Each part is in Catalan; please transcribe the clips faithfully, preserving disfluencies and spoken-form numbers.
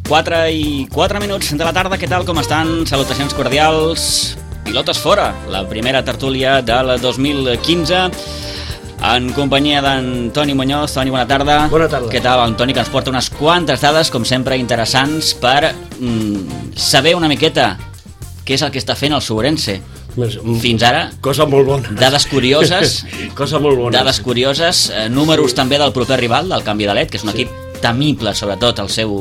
quatre i quatre minuts de la tarda, què tal, com estan? Salutacions cordials. Pilotes fora, la primera tertúlia del dos mil quinze, en companyia d'en Toni Muñoz. Toni, bona tarda. Bona tarda. Què tal, en Toni, que ens porta unes quantes dades, com sempre, interessants per mm, saber una miqueta què és el que està fent el Ourense. Fins ara, cosa molt bona. Dades curioses, cosa molt bona. Dades curioses, eh, números sí. també del proper rival, del Canvi de Led, que és un sí. equip temible, sobretot, al seu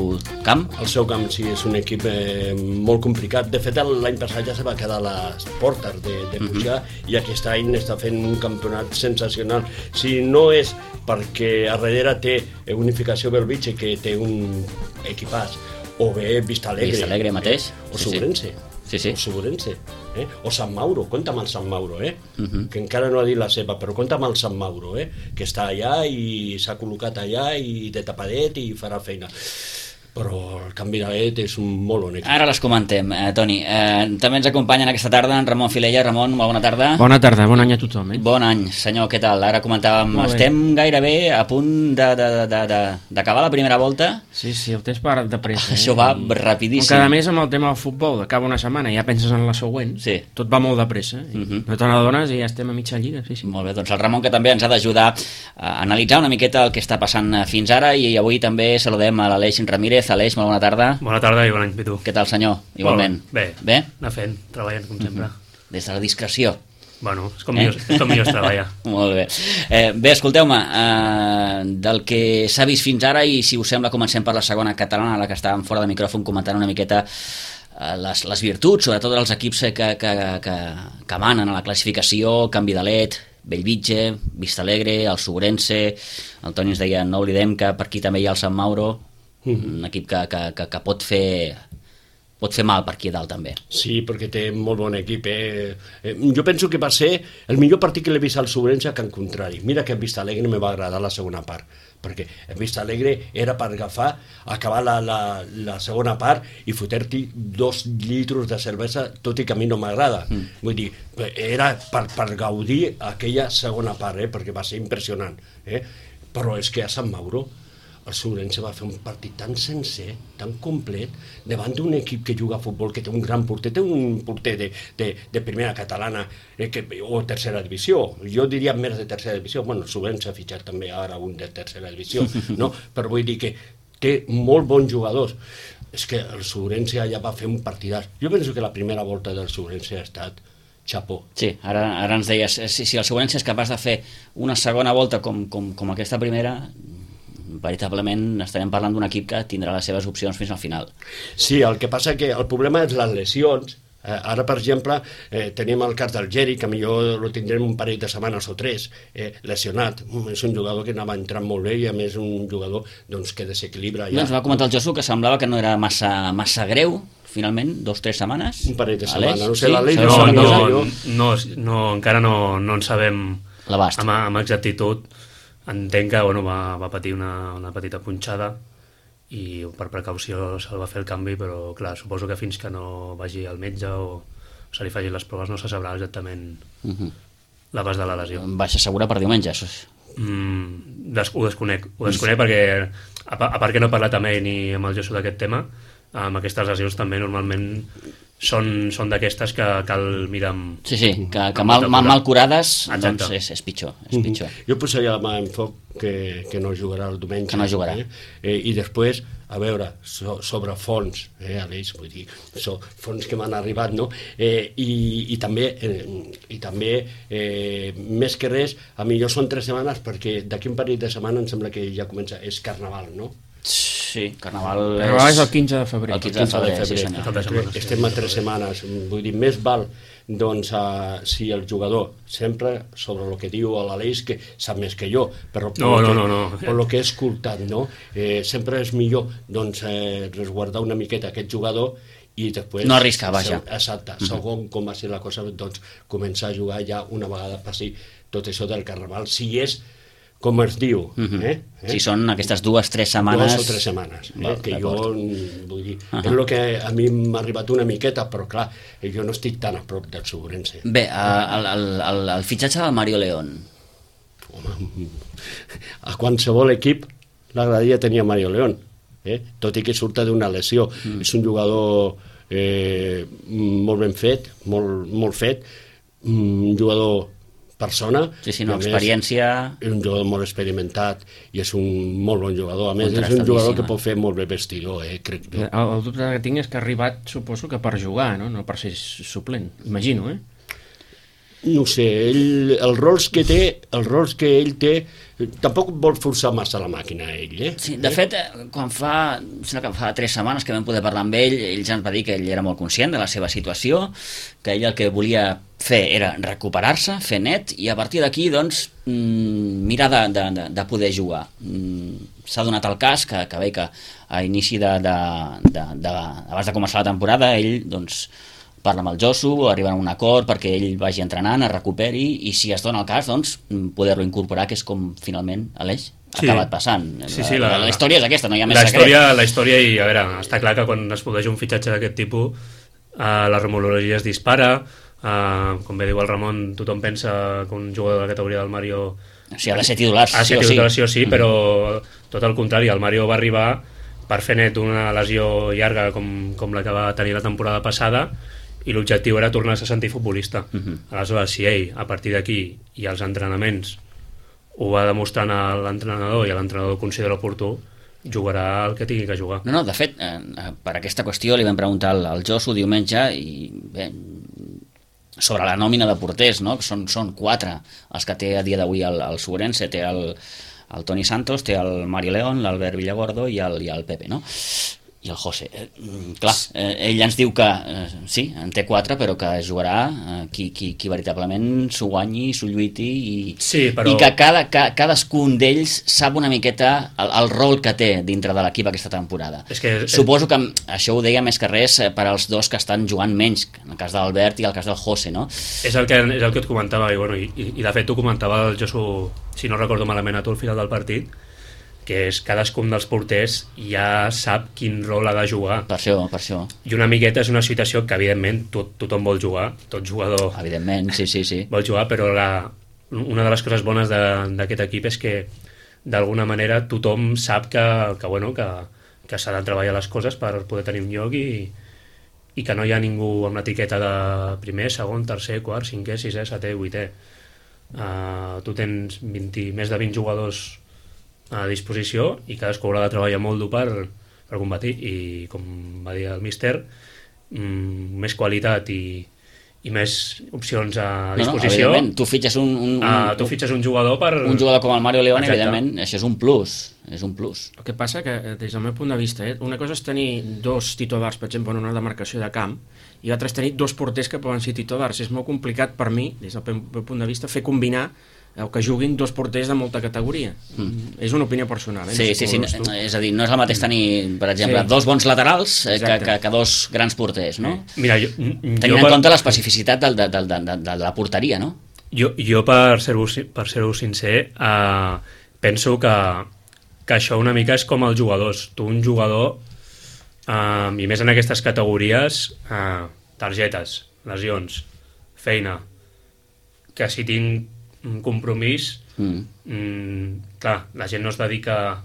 camp. El seu camp, sí, és un equip eh, molt complicat. De fet, l'any passat ja se va quedar a les portes de, de pujar, uh-huh. i aquest any està fent un campionat sensacional. Si no és perquè a darrere té Unificació Belvitge, que té un equipàs, o bé Vista Alegre. Vista Alegre mateix. Eh? O sí, Ourense. Sí, sí. O Ourense. Eh? O Sant Mauro, compta amb el Sant Mauro, eh? Uh-huh. Que encara no ha dit la seva, però compta amb el Sant Mauro, eh? Que està allà i s'ha col·locat allà i de tapadet i farà feina. Però el Canvi de Led és un molt bon equip. Ara les comentem, eh, Toni. Eh, també ens acompanyen aquesta tarda en Ramon Filella. Ramon, molt bona tarda. Bona tarda, bon any a tothom. Eh? Bon any, senyor, què tal? Ara comentàvem, estem gairebé a punt d'acabar la primera volta. Sí, sí, el temps va de pressa. Això eh? va rapidíssim. Cada mes amb el tema del futbol, acaba una setmana i ja penses en la següent. Sí. Tot va molt de pressa. Eh? Uh-huh. No te n'adones i ja estem a mitja lliga. Sí, sí. Molt bé, doncs el Ramon, que també ens ha d'ajudar a analitzar una miqueta el que està passant fins ara, i avui també saludem a l'Aleix Ramírez. Aleix, molt bona tarda. Bona tarda i bon any, Pitu. Què tal, senyor? Igualment. Bé, bé? anar fent, treballant com sempre. Uh-huh. Des de la discreció. Bueno, és com, eh? millor, és com millor es treballa. Molt bé. Eh, bé, escolteu-me, eh, del que s'ha vist fins ara, i si us sembla comencem per la segona catalana, la que estàvem fora de micròfon comentant una miqueta eh, les, les virtuts, sobretot dels equips que, que, que, que manen a la classificació, Canvi de Led, Bellvitge, Vista Alegre, el Ourense. El Toni ens deia, no oblidem que per aquí també hi ha el Sant Mauro, un equip que, que, que, que pot fer pot fer mal per aquí dalt també. Sí, perquè té molt bon equip. Eh? Eh, jo penso que va ser el millor partit que l'he vist al Ourense, que en contrari. Mira que en Vista Alegre me va agradar la segona part, perquè en Vista Alegre era per agafar, acabar la, la, la segona part i fotre-t'hi dos litros de cervesa, tot i que a mi no m'agrada. Mm. Vull dir, era per, per gaudir aquella segona part, eh? Perquè va ser impressionant. Eh? Però és que a Sant Mauro el Ourense va fer un partit tan sencer, tan complet, davant d'un equip que juga a futbol, que té un gran porter, té un porter de, de, de primera catalana eh, que, o tercera divisió. Jo diria més de tercera divisió. Bueno, el Ourense ha fitxat també ara un de tercera divisió, no? Però vull dir que té molt bons jugadors. És que el Ourense allà va fer un partidàs. Jo penso que la primera volta del Ourense ha estat xapó. Sí, ara, ara ens deies, si, si el Ourense és capaç de fer una segona volta com, com, com aquesta primera, veritablement estarem parlant d'un equip que tindrà les seves opcions fins al final. Sí, el que passa que el problema és les lesions. Eh, ara, per exemple, eh, tenim el cas del Geri, que millor lo tindrem un parell de setmanes o tres, eh, lesionat. És un jugador que anava entrant molt bé i a més un jugador doncs, que desequilibra. Ja. Doncs va comentar el Josu que semblava que no era massa, massa greu, finalment, dos o tres setmanes. Un parell de setmanes, no sé, sí? l'Aleix... No, no, no, no, no, encara no, no en sabem l'abast. Amb, amb exactitud. Entenc que bueno, va, va patir una, una petita punxada i per precaució se'l va fer el canvi, però clar, suposo que fins que no vagi al metge o se li facin les proves no se sabrà exactament uh-huh. l'abast de la lesió. Baixa segura per diumenge? Mm, des, ho desconec, ho desconec perquè a, a part que no he parlat amb ell ni amb el Josu d'aquest tema, amb aquestes lesions també normalment són, són d'aquestes que cal mirar amb... Sí, sí, que, que mal, mal, mal curades Exacte. doncs és, és pitjor. És pitjor. Mm-hmm. Jo posaria la mà en foc que, que no jugarà el diumenge. Que no jugarà. Eh? Eh, I després, a veure, so, sobre fons, eh, Aleix, vull dir, so, fons que m'han arribat, no? Eh, i, i també, eh, i també eh, més que res, a millor són tres setmanes, perquè d'aquí un parell de setmanes em sembla que ja comença, és Carnaval, no? Sí, Carnaval és... Carnaval és el quinze de febrer. El quinze de febrer, sí senyor. Estem a tres setmanes, vull dir, més val doncs uh, si el jugador sempre sobre el que diu l'Aleix, que sap més que jo, però per no, lo no, que, no, no. per lo que he escoltat, no? Eh, sempre és millor doncs, eh, resguardar una miqueta aquest jugador i després... No arriscar, vaja. Exacte, uh-huh. Segon com va ser la cosa, doncs començar a jugar ja una vegada passi tot això del Carnaval, si és com es diu. Uh-huh. eh? Eh? Si són aquestes dues, tres setmanes... Dues o tres setmanes, eh? Val, que jo, vull dir, uh-huh. és el que a mi m'ha arribat una miqueta, però clar, jo no estic tan a prop del Ourense. Bé, el, el, el, el fitxatge del Mario León. Home, a qualsevol equip l'agradaria tenir a Mario León. eh? Tot i que surta d'una lesió. Mm. És un jugador eh, molt ben fet, molt, molt fet, un jugador persona. Sí, sí, no, experiència... És un jugador molt experimentat i és un molt bon jugador. A més, és un jugador que pot fer molt bé vestidor, eh, crec jo. El, el dubte que tinc és que ha arribat, suposo que per jugar, no, no per ser suplent, imagino, eh? No sé, ell, els rols que té, els rols que ell té, tampoc vol forçar massa la màquina, ell, eh? Sí, de fet, quan fa, sembla que fa tres setmanes que vam poder parlar amb ell, ell ja ens va dir que ell era molt conscient de la seva situació, que ell el que volia fer era recuperar-se, fer net, i a partir d'aquí, doncs, mirar de, de, de, de poder jugar. S'ha donat el cas que, que bé que a inici de, de, de, de, abans de començar la temporada, ell, doncs, parla amb el Josu, arriben a un acord perquè ell vagi entrenant, es recuperi, i si es dona el cas, doncs, poder-lo incorporar, que és com finalment Aleix ha sí. acabat passant. Sí, sí, la, la, la història és aquesta, no hi ha més la secret. Història, la història, i a veure, està clar que quan es produeix un fitxatge d'aquest tipus, eh, la rumorologia es dispara, eh, com bé diu el Ramon, tothom pensa que un jugador de la categoria del Mario... O sigui, ha de ser titular, ha de ser titular, sí o sí, mm. però tot el contrari, el Mario va arribar per fer net una lesió llarga com, com la que va tenir la temporada passada, i l'objectiu era tornar-se a sentir futbolista. Uh-huh. Aleshores, si ell, a partir d'aquí, i als entrenaments, ho va demostrant a l'entrenador i a l'entrenador considera oportú, jugarà el que tingui que jugar. No, no, de fet, eh, per aquesta qüestió li vam preguntar al, al Josu diumenge, i bé, sobre la nòmina de porters, no? Que són, són quatre els que té a dia d'avui el, el Subense, té el, el Toni Santos, té el Mario León, l'Albert Villagordo i el, i el Pepe, no? I el José. Eh, clar, eh, ell ens diu que eh, sí, en té quatre, però que jugarà eh, qui, qui, qui veritablement s'ho guanyi, s'ho lluiti, i, sí, però... i que cada, ca, cadascun d'ells sap una miqueta el, el rol que té dintre de l'equip aquesta temporada. És que, Suposo que això ho deia més que res per als dos que estan jugant menys, en el cas de l'Albert i el cas del José, no? És el que, és el que et comentava, i, bueno, i, i de fet ho comentava el Josu, si no recordo malament, a tu al final del partit, que és cadascun dels porters ja sap quin rol ha de jugar. Per això, per això. I una miqueta és una situació que, evidentment, tot, tothom vol jugar, tot jugador... Evidentment, sí, sí, sí. Vol jugar, però la, una de les coses bones d'aquest equip és que, d'alguna manera, tothom sap que, que, bueno, que, que s'ha de treballar les coses per poder tenir un lloc, i, i que no hi ha ningú amb l'etiqueta de primer, segon, tercer, quart, cinquè, sisè, setè, vuitè. Uh, tu tens vint, més de vint jugadors a disposició i cadascú haurà de treballar molt dur per, per combatir, i com va dir el míster, mmm, més qualitat i, i més opcions a disposició. No, no, tu fitxes un, un, un, uh, tu fitxes un jugador per... un jugador com el Mario León. Exacte. Evidentment, això és un plus, és un plus. El que passa que, des del meu punt de vista, eh, una cosa és tenir dos titulars, per exemple, en una demarcació de camp, i l'altra és tenir dos porters que poden ser titulars. És molt complicat per mi, des del meu punt de vista, fer combinar o que juguin dos porters de molta categoria. Mm. És una opinió personal. Eh? Sí, sí, sí, no, és a dir, no és el mateix tenir, per exemple, sí. dos bons laterals eh, que, que, que dos grans porters, no? Mira, jo, tenint jo en per... compte l'especificitat de, de, de, de, de la porteria, no? Jo, jo per ser-ho per ser sincer, eh, penso que, que això una mica és com els jugadors. Tu, un jugador, eh, i més en aquestes categories, eh, targetes, lesions, feina, que si tinc un compromís, mm. Mm, clar, la gent no es dedica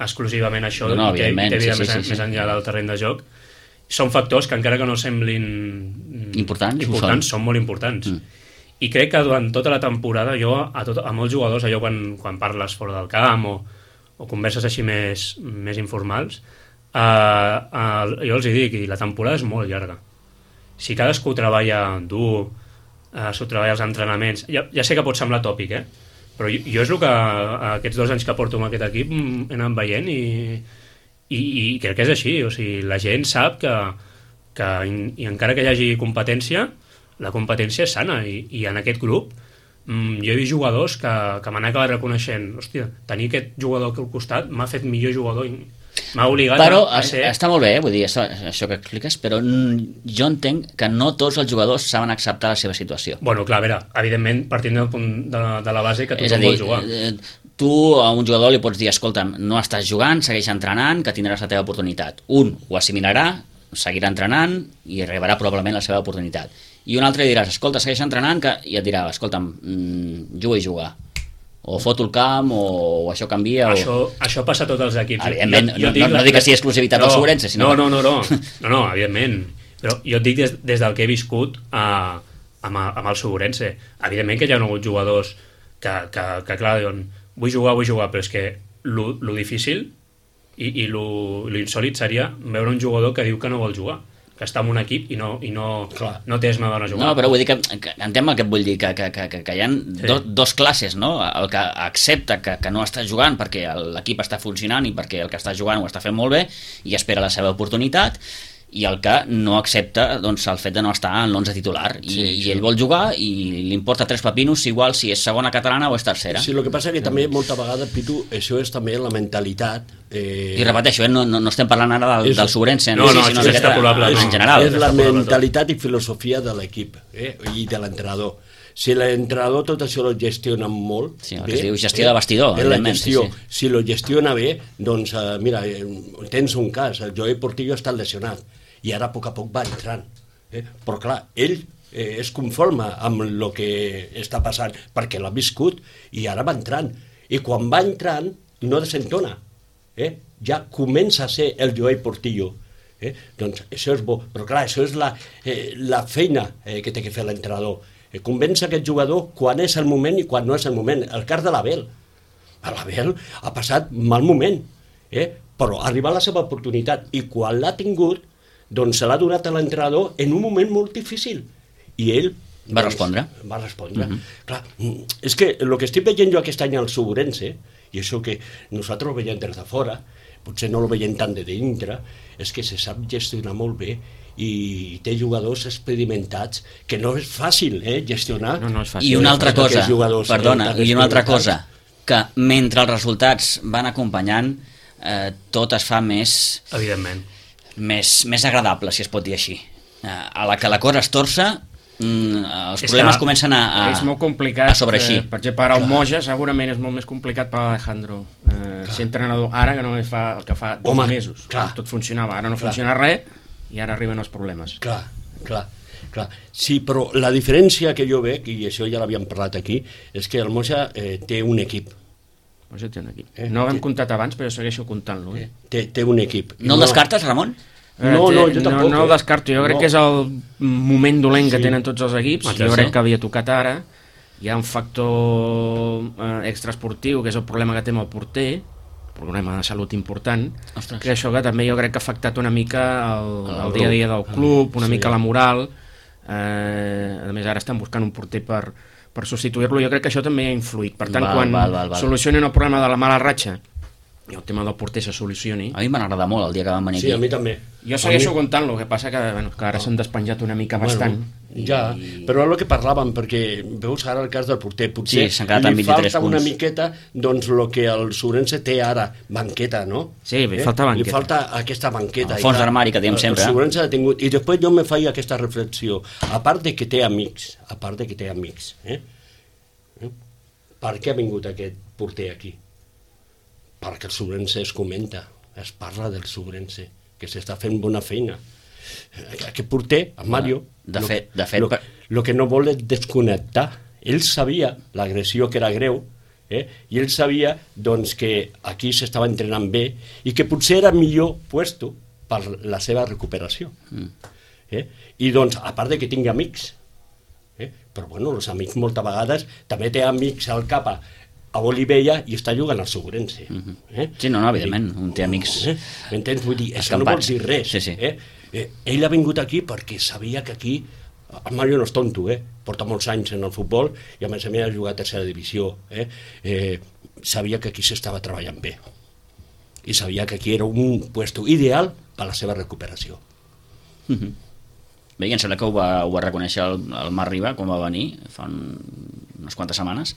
exclusivament a això, no, no, i té, té vida sí, més, sí, sí, més enllà del terreny de joc. Són factors que, encara que no semblin importants, importants són. són molt importants. Mm. I crec que durant tota la temporada, jo a, tot, a molts jugadors, allò quan, quan parles fora del camp o, o converses així més, més informals, eh, eh, jo els hi dic, i la temporada és molt llarga. Si cadascú treballa dur, Uh, s'ho treballa als entrenaments, ja, ja sé que pot semblar tòpic, eh? Però jo, jo és el que uh, aquests dos anys que porto amb aquest equip he anat veient, i, i, i crec que és així. O sigui, la gent sap que, que i encara que hi hagi competència, la competència és sana, i, i en aquest grup mm, jo he vist jugadors que, que m'han acabat reconeixent, hòstia, tenir aquest jugador aquí al costat m'ha fet millor jugador, m'ha obligat però a, a ser... està molt bé, eh? Vull dir, això, això que expliques, però jo entenc que no tots els jugadors saben acceptar la seva situació. Bueno, clar, a veure, evidentment, partint del punt de, de la base que tothom vol jugar. Eh, tu a un jugador li pots dir, escolta'm, no estàs jugant, segueix entrenant, que tindràs la teva oportunitat. Un ho assimilarà, seguirà entrenant i arribarà probablement la seva oportunitat. I un altre diràs, escolta, segueix entrenant, que... i et dirà, escolta'm, mmm, juga i jugar. o foto el camp, o, o això canvia, Això, o... això passa a tots els equips. Evidentment, Jo- jo no, dic no, la- no dic que sigui exclusivitat del no, Sobrense, sinó... No, no, no, no, no, no, evidentment. Però jo et dic des, des del que he viscut a, amb, el- amb el Sobrense. Evidentment que hi ha hagut jugadors que, que, que clar, diuen, vull jugar, vull jugar, però és que lo, lo difícil i, i lo, lo insòlid seria veure un jugador que diu que no vol jugar, que està en un equip i no, i no, no té esma d'anar a jugar. No, però vull dir que, que entenc el que et vull dir, que, que, que, que hi ha sí. do, dos classes, no? El que accepta que, que no està jugant perquè l'equip està funcionant i perquè el que està jugant ho està fent molt bé i espera la seva oportunitat, i el que no accepta doncs, el fet de no estar en l'onze titular i, sí, i ell vol jugar i li importa tres papinos igual si és segona catalana o és tercera. Sí, el que passa que també molta vegada, Pitu, això és també la mentalitat. Eh... I repeteixo, eh, no, no, no estem parlant ara del, és... del Sobrense, no, no, sí, sinó és extrapolable, en no. general. És la mentalitat i filosofia de l'equip eh? i de l'entrenador. Si l'entrenador tot això lo gestiona molt sí, el bé, que es diu gestió de vestidor, eh, la gestió, sí, sí. si lo gestiona bé, doncs uh, mira, tens un cas, el Joey Portillo està lesionat i ara a poc a poc va entrant. Eh? Però clar, ell eh, es conforma amb el que està passant perquè l'ha viscut i ara va entrant. I quan va entrant no desentona. Eh? Ja comença a ser el Joey Portillo. Eh? Doncs això és bo. Però clar, això és la, eh, la feina eh, que té que fer l'entrenador. Eh, convèncer aquest jugador quan és el moment i quan no és el moment. El cas de l'Abel. L'Abel ha passat mal moment, eh? però ha arribat la seva oportunitat i quan l'ha tingut doncs se l'ha donat a l'entrenador en un moment molt difícil i ell va doncs, respondre va respondre uh-huh. Clar, és que el que estic veient jo aquest any al Sobrense i això que nosaltres ho veiem des de fora potser no ho veiem tant de dintre és que se sap gestionar molt bé i té jugadors experimentats que no és fàcil eh, gestionar no, no és fàcil. I una altra cosa, jugadors, perdona, eh, i una altra cosa que mentre els resultats van acompanyant eh, tot es fa més evidentment Més, més agradable, si es pot dir així. A la que la cosa es torça, mm, els és problemes que comencen a, a, és molt complicat, a sobreeixir. Eh, per exemple, per al Moja segurament és molt més complicat per Alejandro eh, ser entrenador ara que no fa el que fa dos Home, mesos. Clar. Tot funcionava, ara no Clar. funciona res i ara arriben els problemes. Clar, clar, clar. Sí, però la diferència que jo veig, i això ja l'havíem parlat aquí, és que el Moja eh, té un equip. Moja té un equip. Eh, no ho hem té... comptat abans, però jo segueixo comptant-lo. Eh? Té, té un equip. No el descartes, Ramon? No, no, jo tampoc. No, no el descarto, jo crec no. que és el moment dolent que Sí. tenen tots els equips, Ah, jo sí? crec que havia tocat ara, hi ha un factor eh, extraesportiu, que és el problema que té amb el porter, problema de salut important, Ostres. que això que també jo crec que ha afectat una mica el, el dia a dia del club, una sí. mica la moral, eh, a més ara estan buscant un porter per, per substituir-lo, jo crec que això també ha influït, per tant Val, quan val, val, val. solucionen el problema de la mala ratxa i el tema del porter se solucioni. A mi m'ha agradat molt el dia que vam venir Sí, a aquí. mi també. Jo segueixo A mi... comptant-lo, el que passa que, bueno, que ara s'han despenjat una mica bastant. Bueno, ja, però és el que parlàvem, perquè veus ara el cas del porter, potser Sí, s'han quedat amb li vint-i-tres falta una punts. miqueta doncs el que el Sobrense té ara, banqueta, no? Sí, li falta banqueta. Li falta aquesta banqueta. El fons I clar, d'armari que diem sempre. El Sobrense ha tingut, i després jo me faig aquesta reflexió, a part de que té amics, a part de que té amics, eh? eh? Per què ha vingut aquest porter aquí? Perquè el Sobrense es comenta, es parla del Sobrense, que s'està fent bona feina. Aquest porter, el Mario, De lo, fet- de fet, lo, per- lo que no vol és desconnectar. Ell sabia l'agressió que era greu, eh? i ell sabia doncs, que aquí s'estava entrenant bé i que potser era millor puesto per la seva recuperació. Mm. Eh? I doncs, a part de que tingui amics, eh? però bueno, els amics moltes vegades també té amics al capa a Olivella i està jugant al Sobrense. Mhm. Eh? Sí, no, no, evidentment, un té amics Eh? M'entens? Vull dir, això no vol escampats. dir res. Sí, sí. Eh? Eh, ell ha vingut aquí perquè sabia que aquí, el Mario no és tonto, eh? porta molts anys en el futbol i a més a més ha jugat a tercera divisió. Eh? Eh, sabia que aquí s'estava treballant bé i sabia que aquí era un puesto ideal per a la seva recuperació. Mhm. Bé, i em sembla que ho va, ho va reconèixer el, el Marc Riba quan va venir fa un, unes quantes setmanes,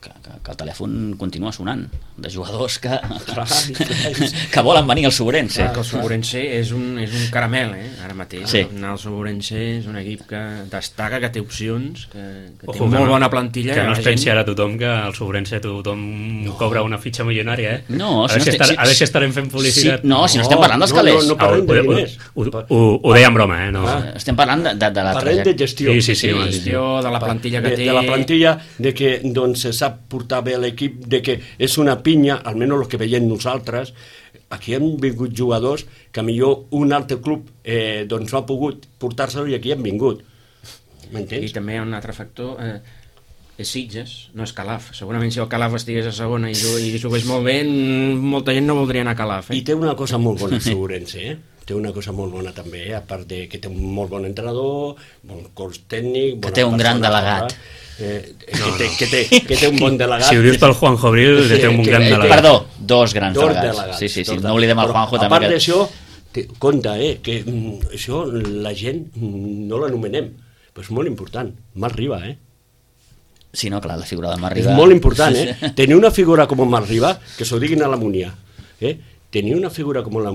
que, que, que el telèfon continua sonant de jugadors que, Clar, clar. que volen venir al Sobrense. Que el Sobrense és un, és un caramel, eh? Ara mateix. Sí. El Sobrense és un equip que destaca, que té opcions, que, que té Ojo, molt que no- bona plantilla. Que no la es gent- pensi ara tothom que al Sobrense tothom no. cobra una fitxa milionària, eh? No, a, si veure no si estem- estar, si- a veure si estarem fent publicitat. Sí, no, si no estem parlant dels no, calés. no, no parlem ho, de ho, diners. ho, ho, ho deia en broma, eh? No. Ah. Estem parlant de, de, de la Parlem de trajectòria. gestió. Sí, sí, sí, Sí, home, sí, sí. gestió de la plantilla que de, té. de la plantilla, de que doncs, se sap portar bé l'equip, de que és una pinya, almenys el que veiem nosaltres. Aquí han vingut jugadors que millor un altre club eh, doncs no ha pogut portar-se-lo i aquí han vingut. M'entens? I també hi ha un altre factor, eh, és Sitges, no és Calaf. Segurament si el Calaf estigués a segona i, i jugués molt bé, molta gent no voldria anar a Calaf. Eh? I té una cosa molt bona, Ourense, eh? Té una cosa molt bona també, eh? A part de que té un molt bon entrenador, bon cos tècnic... Que té un gran delegat. Eh, no, que, té, no. que, té, que té un bon delegat. Si ho dius pel Juanjo Abril, que té un que, gran que, delegat. Perdó, dos grans dos delegats. delegats. Sí, sí, sí, dos no oblidem el Juanjo però, també. A part Que... d'això, té, compte, eh, que mm, això la gent mm, no l'anomenem, però és molt important. Marc Riba, eh? Sí, no, clar, la figura de Marc Riba... És molt important, eh? Tenir una figura com Marc Riba, que s'ho diguin a la Munia, eh? Tenir una figura com, la,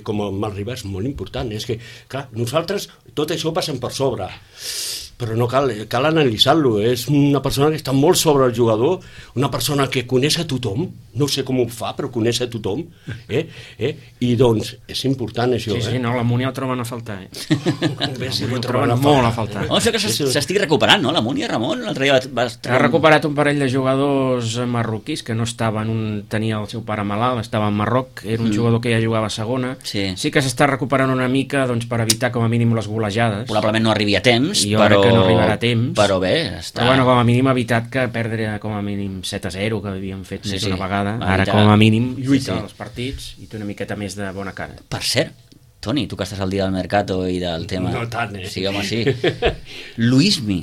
com el Marc Riba és molt important. És que, clar, nosaltres tot això passem per sobre, però no cal, cal analitzar-lo. És una persona que està molt sobre el jugador, una persona que coneix a tothom, no sé com ho fa, però coneix a tothom, eh? Eh? I doncs és important això. Sí, sí, eh? no, la Múnia el troben a faltar, eh? Bé, sí, el troben molt a faltar. Oh, això que s'estigui recuperant, no? La Múnia, Ramon, l'altre dia va... Ha recuperat un parell de jugadors marroquís que no estaven, un tenia el seu pare malalt, estava a Marroc, era un mm. jugador que ja jugava a segona. Sí. Sí que s'està recuperant una mica doncs, per evitar com a mínim les golejades. Probablement no arribi a temps, jo però... crec que no arribarà a temps. Però bé, està... Però bueno, com a mínim ha evitat que perdre com a mínim set a zero, que havien fet sí, més sí. una vegada. Va, Ara ja... com a mínim lluita sí, sí. els partits i té una miqueta més de bona cara. Per cert, Toni, tu que estàs al dia del Mercato i del tema... No tant, eh? Sí, home, sí. Luismi.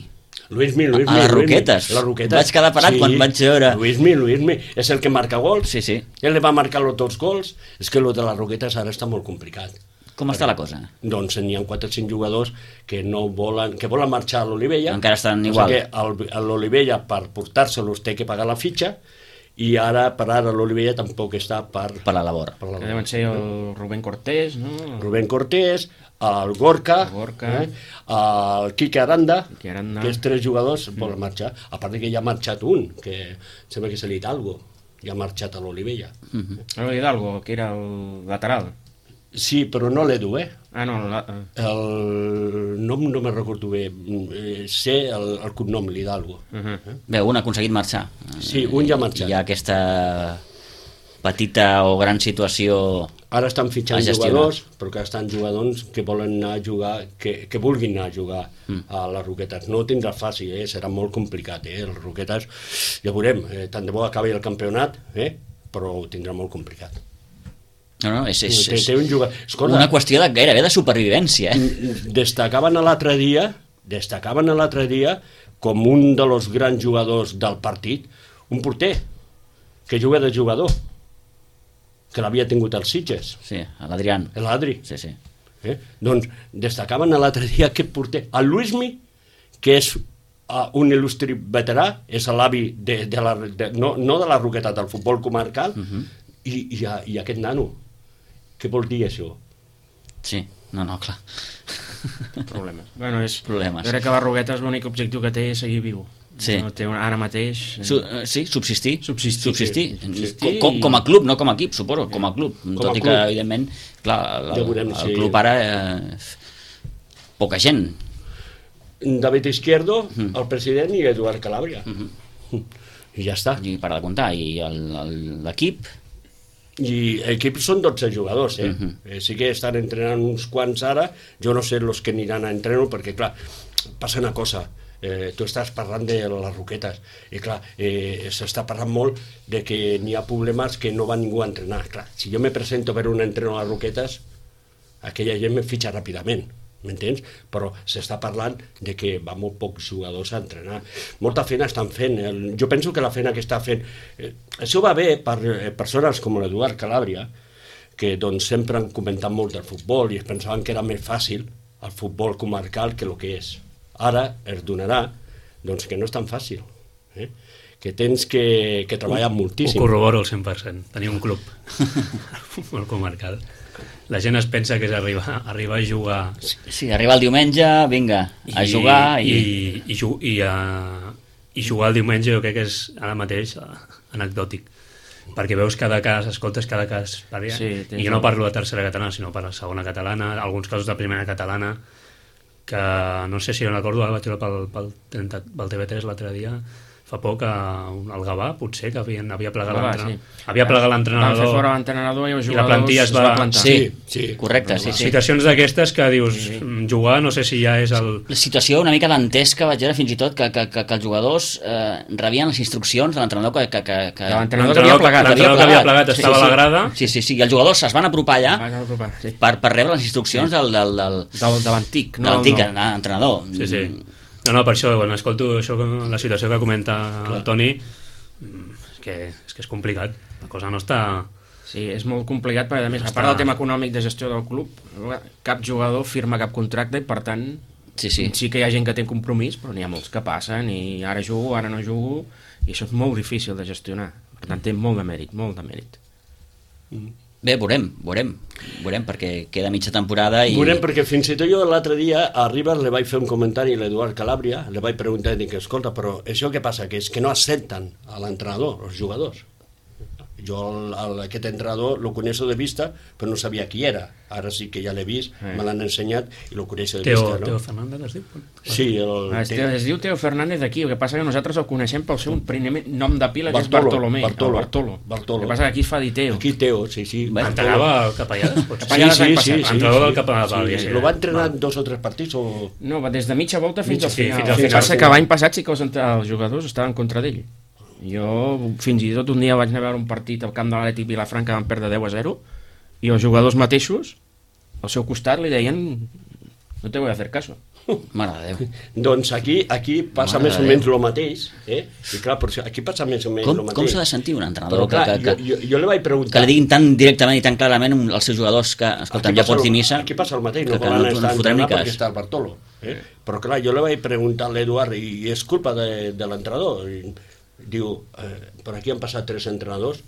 Luismi, Luismi. A les Luismi. Roquetes. Les Roquetes. Vaig quedar parat sí. quan vaig veure... Luismi, Luismi. És el que marca gols. Sí, sí. Ell li va marcar los dos gols. És que lo de les Roquetes ara està molt complicat. Com està la cosa? Doncs n'hi ha quatre o cinc jugadors que no volen, que volen marxar a l'Olivella. Encara estan o igual. sigui que l'Olivella per portar-se-los té que pagar la fitxa i ara per ara l'Olivella tampoc està per... Per la labor. Per la Que deuen ser el Rubén Cortés, no? Rubén Cortés, el Gorka, el, Gorka. Eh? el Quique Aranda, Quique Aranda, que els tres jugadors mm. volen marxar. A part de que ja ha marxat un, que sembla que és l'Hidalgo, ja ha marxat a l'Olivella. Mm-hmm. L'Hidalgo, que era el lateral. Sí, però no l'Edu, eh? Ah, no, la... El nom no me'n recordo bé. Sé el, el cognom, l'Hidalgo. Uh -huh. eh? Bé, un ha aconseguit marxar. Sí, un ja ha marxat. Hi ha aquesta petita o gran situació... Ara estan fitxant jugadors, però que estan jugadors que volen anar a jugar, que, que vulguin anar a jugar mm. a les Roquetes. No ho tindrà fàcil, eh? Serà molt complicat, eh? Les Roquetes, ja veurem, eh? Tant de bo acabi el campionat, eh? Però ho tindrà molt complicat. No, no, és, és, té, té un jugador... Escolta, una qüestió de, gairebé de supervivència. Eh? Destacaven l'altre dia, destacaven l'altre dia com un dels grans jugadors del partit, un porter, que juga de jugador, que l'havia tingut als Sitges. Sí, l'Adrián. L'Adri. Sí, sí. Eh? Doncs destacaven l'altre dia aquest porter, el Luismi, que és uh, un il·lustri veterà, és l'avi de, de la, de, no, no de la Roqueta, del futbol comarcal, uh -huh. i, i, i aquest nano. Què vol dir això? Sí, no, no, clar. Problemes. Bueno, és, Problemes. Jo crec que la Roquetes l'únic objectiu que té és seguir viu. Sí. No té un, ara mateix... Su, sí, subsistir. Subsistir. subsistir. subsistir com, com a club, no com a equip, suposo, com a club. Com Tot a i club. que, evidentment, clar, el, Ja veurem, el sí. club ara... Eh, poca gent. David Izquierdo, mm. el president, i Eduard Calàbria. Mm -hmm. I ja està. I per de comptar. I l'equip... I l'equip són dotze jugadors, eh? Uh-huh. eh? Sí que estan entrenant uns quants ara, jo no sé els que aniran a entrenar, perquè, clar, passa una cosa, eh, tu estàs parlant de les Roquetes, i clar, eh, s'està parlant molt de que n'hi ha problemes que no va ningú a entrenar. Clar, si jo me presento per un entreno a les Roquetes, aquella gent me fitxa ràpidament, m'entens? Però s'està parlant de que va molt pocs jugadors a entrenar. Molta feina estan fent. El, jo penso que la feina que està fent... Eh, això va bé per eh, persones com l'Eduard Calàbria, que doncs, sempre han comentat molt del futbol i es pensaven que era més fàcil el futbol comarcal que el que és. Ara es donarà doncs, que no és tan fàcil. Eh? Que tens que, que treballar moltíssim. Ho corroboro al cent per cent. Tenir un club futbol comarcal. La gent es pensa que és arribar, arribar a jugar... Sí, arribar el diumenge, vinga, a I, jugar... I, i, i, i, i, a, i jugar el diumenge jo crec que és ara mateix anecdòtic, perquè veus cada cas, escoltes cada cas, sí, i jo no parlo de tercera catalana, sinó per la segona catalana, alguns casos de primera catalana, que no sé si no recordo, ara vaig veure pel, pel, pel T V tres l'altre dia, fa poc el Gavà, potser, que havien, havia plegat Gavà, l'entrenador. sí. Havia plegat l'entrenador. Van fer fora l'entrenador i els i la jugadors plantilla es va, va plantar. Sí, sí. correcte, sí, sí. Situacions d'aquestes que dius, Sí, sí. jugar no sé si ja és el... La situació una mica dantesca, vaig veure fins i tot que, que, que, que els jugadors eh, rebien les instruccions de l'entrenador que, que, que, que... De l'entrenador que havia plegat. L'entrenador que havia plegat estava sí, a la sí. grada. Sí, sí, sí, i els jugadors es van apropar allà Va apropar, sí. per, per rebre les instruccions del, del, del, Del, de l'antic, de no l'antic del nou. entrenador. Sí, sí. No, no, per això, quan escolto això, la situació que comenta el Toni, és que, és que és complicat. La cosa no està... Sí, és molt complicat perquè, a més, a Està- part del tema econòmic de gestió del club, cap jugador firma cap contracte i, per tant, Sí, sí. sí que hi ha gent que té compromís, però n'hi ha molts que passen i ara jugo, ara no jugo, i això és molt difícil de gestionar. Per tant, té molt de mèrit, molt de mèrit. Bé, veurem, veurem, veurem, perquè queda mitja temporada i... Veurem, perquè fins i tot jo l'altre dia a Ribas le vaig fer un comentari a l'Eduard Calàbria, le vaig preguntar, dic, escolta, però això què passa? Que és que no accepten a l'entrenador, els jugadors. Jo el, el, aquest entrenador lo coneixo de vista, però no sabia qui era. Ara sí que ja l'he vist, Eh. me l'han ensenyat i lo coneixo de Teo, vista, no? Teo Fernández es diu? Sí, el, Es, Teo, es diu Teo Fernández d'aquí, el que passa que nosaltres el coneixem pel seu primer nom de pila, que és Bartolo, Bartolomé. Bartolo, el Bartolo. Bartolo. El que passa que aquí es fa dir Teo. Aquí Teo, sí, sí. Bé, Entrenava el Capellades, potser? Capellades l'any sí, passat. sí, sí, Entrenador sí, del Capellades, sí, val, sí. ja sé. Lo va entrenar Val. dos o tres partits o... No, va des de mitja volta fins Mitja, al sí, final. fins al El que final. passa que l'any passat sí que els, entre- els jugadors estaven contra d'ell. Jo fins i tot un dia vaig anar a veure un partit al camp de l'Atlètic Vilafranca, van perdre deu a zero, i els jugadors mateixos al seu costat li deien no te voy a hacer caso. Mare de Déu. Doncs aquí, aquí passa Mare més de o Déu. menys el mateix, eh? I clar, per això, aquí passa més o menys Com, el mateix. com s'ha de sentir un entrenador Però clar, que, que, jo, jo, jo li vaig que preguntar... li diguin tan directament i tan clarament als seus jugadors que, escolta'm, Aquí ja passa pots el- dir missa, Aquí passa el mateix, que, no que volen no, estar no fotrem ni entrenant perquè cas. està el Bartolo. Eh? Però clar, jo li vaig preguntar a l'Eduard i és culpa de, de l'entrenador. I diu, eh, per aquí han passat tres entrenadors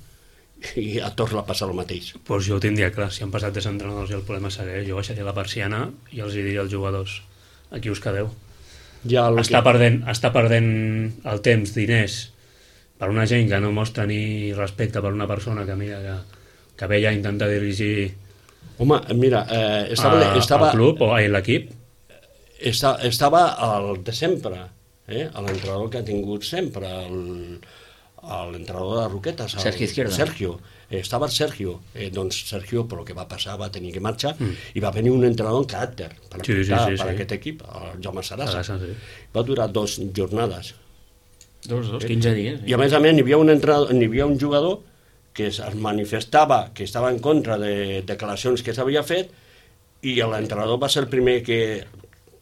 i a tots l'ha passat el mateix. Pues jo ho tindria clar, si han passat tres entrenadors i el problema segueix, jo baixaria la persiana i els hi diria als jugadors, aquí us quedeu. Ja el Està que... perdent, està perdent el temps, diners, per una gent que no mostra ni respecte per una persona que mira que, que ve ja a intentar dirigir Home, mira, eh, estava, a, estava, al club o a l'equip. esta, estava al de sempre, eh? l'entrenador que ha tingut sempre, el, l'entrenador de Roquetes, el, Sergio Izquierdo. Sergio. Eh, estava el Sergio, eh, doncs Sergio, per el que va passar, va tenir que marxar, mm. i va venir un entrenador en caràcter per, Sí, sí, apuntar sí, per sí. aquest equip, el Jaume Sarasa. Sarasa, sí. Va durar dos jornades. Dos, dos, quinze dies. I a més a més n'hi havia un, entrenador, n'hi havia un jugador que es manifestava que estava en contra de declaracions que s'havia fet i l'entrenador va ser el primer que,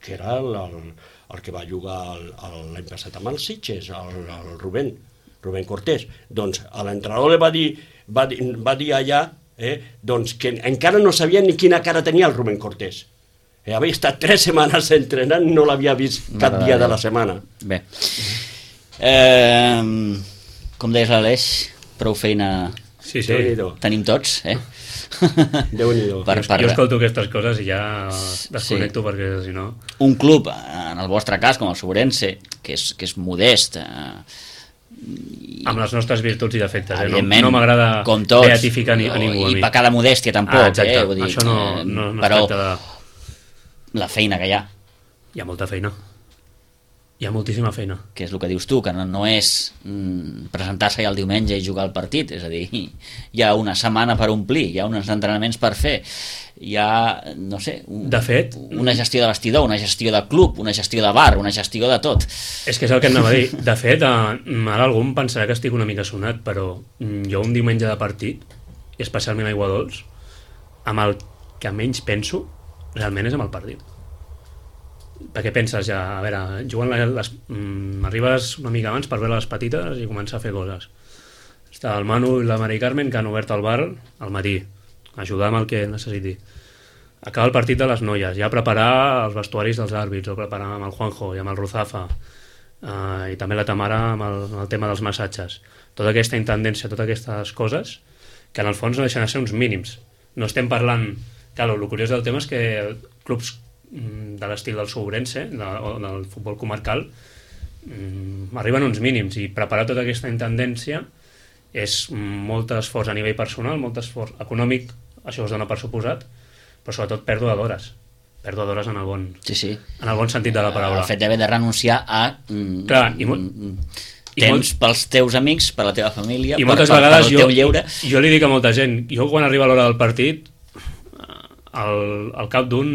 que era el, el, el que va jugar el, el, l'any passat amb els Sitges, el, el Rubén, Rubén Cortés. Doncs a l'entrenador li va dir, va dir, va dir allà eh, doncs que encara no sabia ni quina cara tenia el Rubén Cortés. Eh, havia estat tres setmanes entrenant, no l'havia vist cap Mare de dia de Déu. la setmana. Bé. Eh, com deies l'Aleix, prou feina Sí, sí. Déu-n'hi-do. tenim tots, eh? Déu-n'hi-do. per, per, Jo escolto aquestes coses i ja desconnecto, sí. Perquè si no... un club, en el vostre cas, com el Sobrense, que és, que és modest, eh, Amb les nostres virtuts i defectes, eh? No, evidentment, no m'agrada com tots, beatificar ni, a ningú a i mi. pecar de modèstia tampoc, Ah, exacte. eh? Vull dir, Això no, eh, no, no però es tracta de... la feina que hi ha, Hi ha molta feina. Hi ha moltíssima feina. que és el que dius tu, que no, no és mm, presentar-se ja el diumenge i jugar al partit, és a dir, hi ha una setmana per omplir, hi ha uns entrenaments per fer, hi ha, no sé, un, De fet, una gestió de vestidor, una gestió de club, una gestió de bar, una gestió de tot. És que és el que anava a dir. De fet, eh, ara algú em pensarà que estic una mica sonat, però mm, jo un diumenge de partit, i especialment a Aiguadols, amb el que menys penso, realment és amb el partit. Perquè penses ja, a veure, jugant les, les, mm, arribes una mica abans per veure les petites i començar a fer coses. Està el Manu i la Mari Carmen que han obert el bar al matí, ajudar amb el que necessiti. Acaba el partit de les noies, ja preparar els vestuaris dels àrbits, o preparar amb el Juanjo i amb el Ruzafa, eh, i també la Tamara amb el, amb el tema dels massatges. Tota aquesta intendència, totes aquestes coses, que en el fons no deixen de ser uns mínims. No estem parlant... Clar, el curiós del tema és que clubs de l'estil del Sobrense de, o del futbol comarcal mm, arriben uns mínims i preparar tota aquesta intendència és molt esforç a nivell personal, molt esforç econòmic, això es dona per suposat, però sobretot pèrdua d'hores pèrdua d'hores en el bon Sí, sí. en el bon sentit de la paraula. El fet d'haver de renunciar a... Mm, Clar, i mo- mm, temps molt... pels teus amics, per la teva família, I per, moltes per, vegades per el jo, teu lleure. jo li dic a molta gent, jo quan arriba l'hora del partit, al, al cap d'un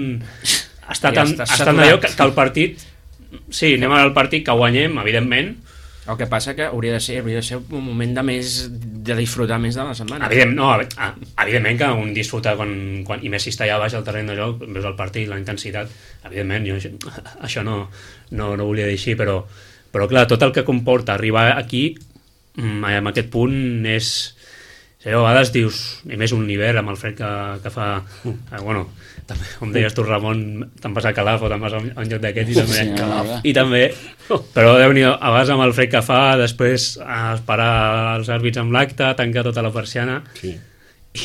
està Ja tan, estàs està tan saturat. allò que, que el partit, sí, anem al partit, que guanyem, evidentment. El que passa que hauria de ser, hauria de ser un moment de més de disfrutar més de la setmana. Evident, no, evidentment que un disfruta quan, quan, i més si està allà baix al terreny de joc, veus el partit, la intensitat, evidentment, jo això no, no, no volia dir així, però, però clar, tot el que comporta arribar aquí, en aquest punt és... A vegades dius, i més un hivern amb el fred que, que fa... Eh, bueno, també, com deies tu, Ramon, te'n vas a Calaf o te'n vas a un, a un lloc d'aquests i també... Sí, no, I també, però Déu-n'hi-do, a vegades amb el fred que fa, després esperar els àrbits amb l'acte, tancar tota la persiana, Sí.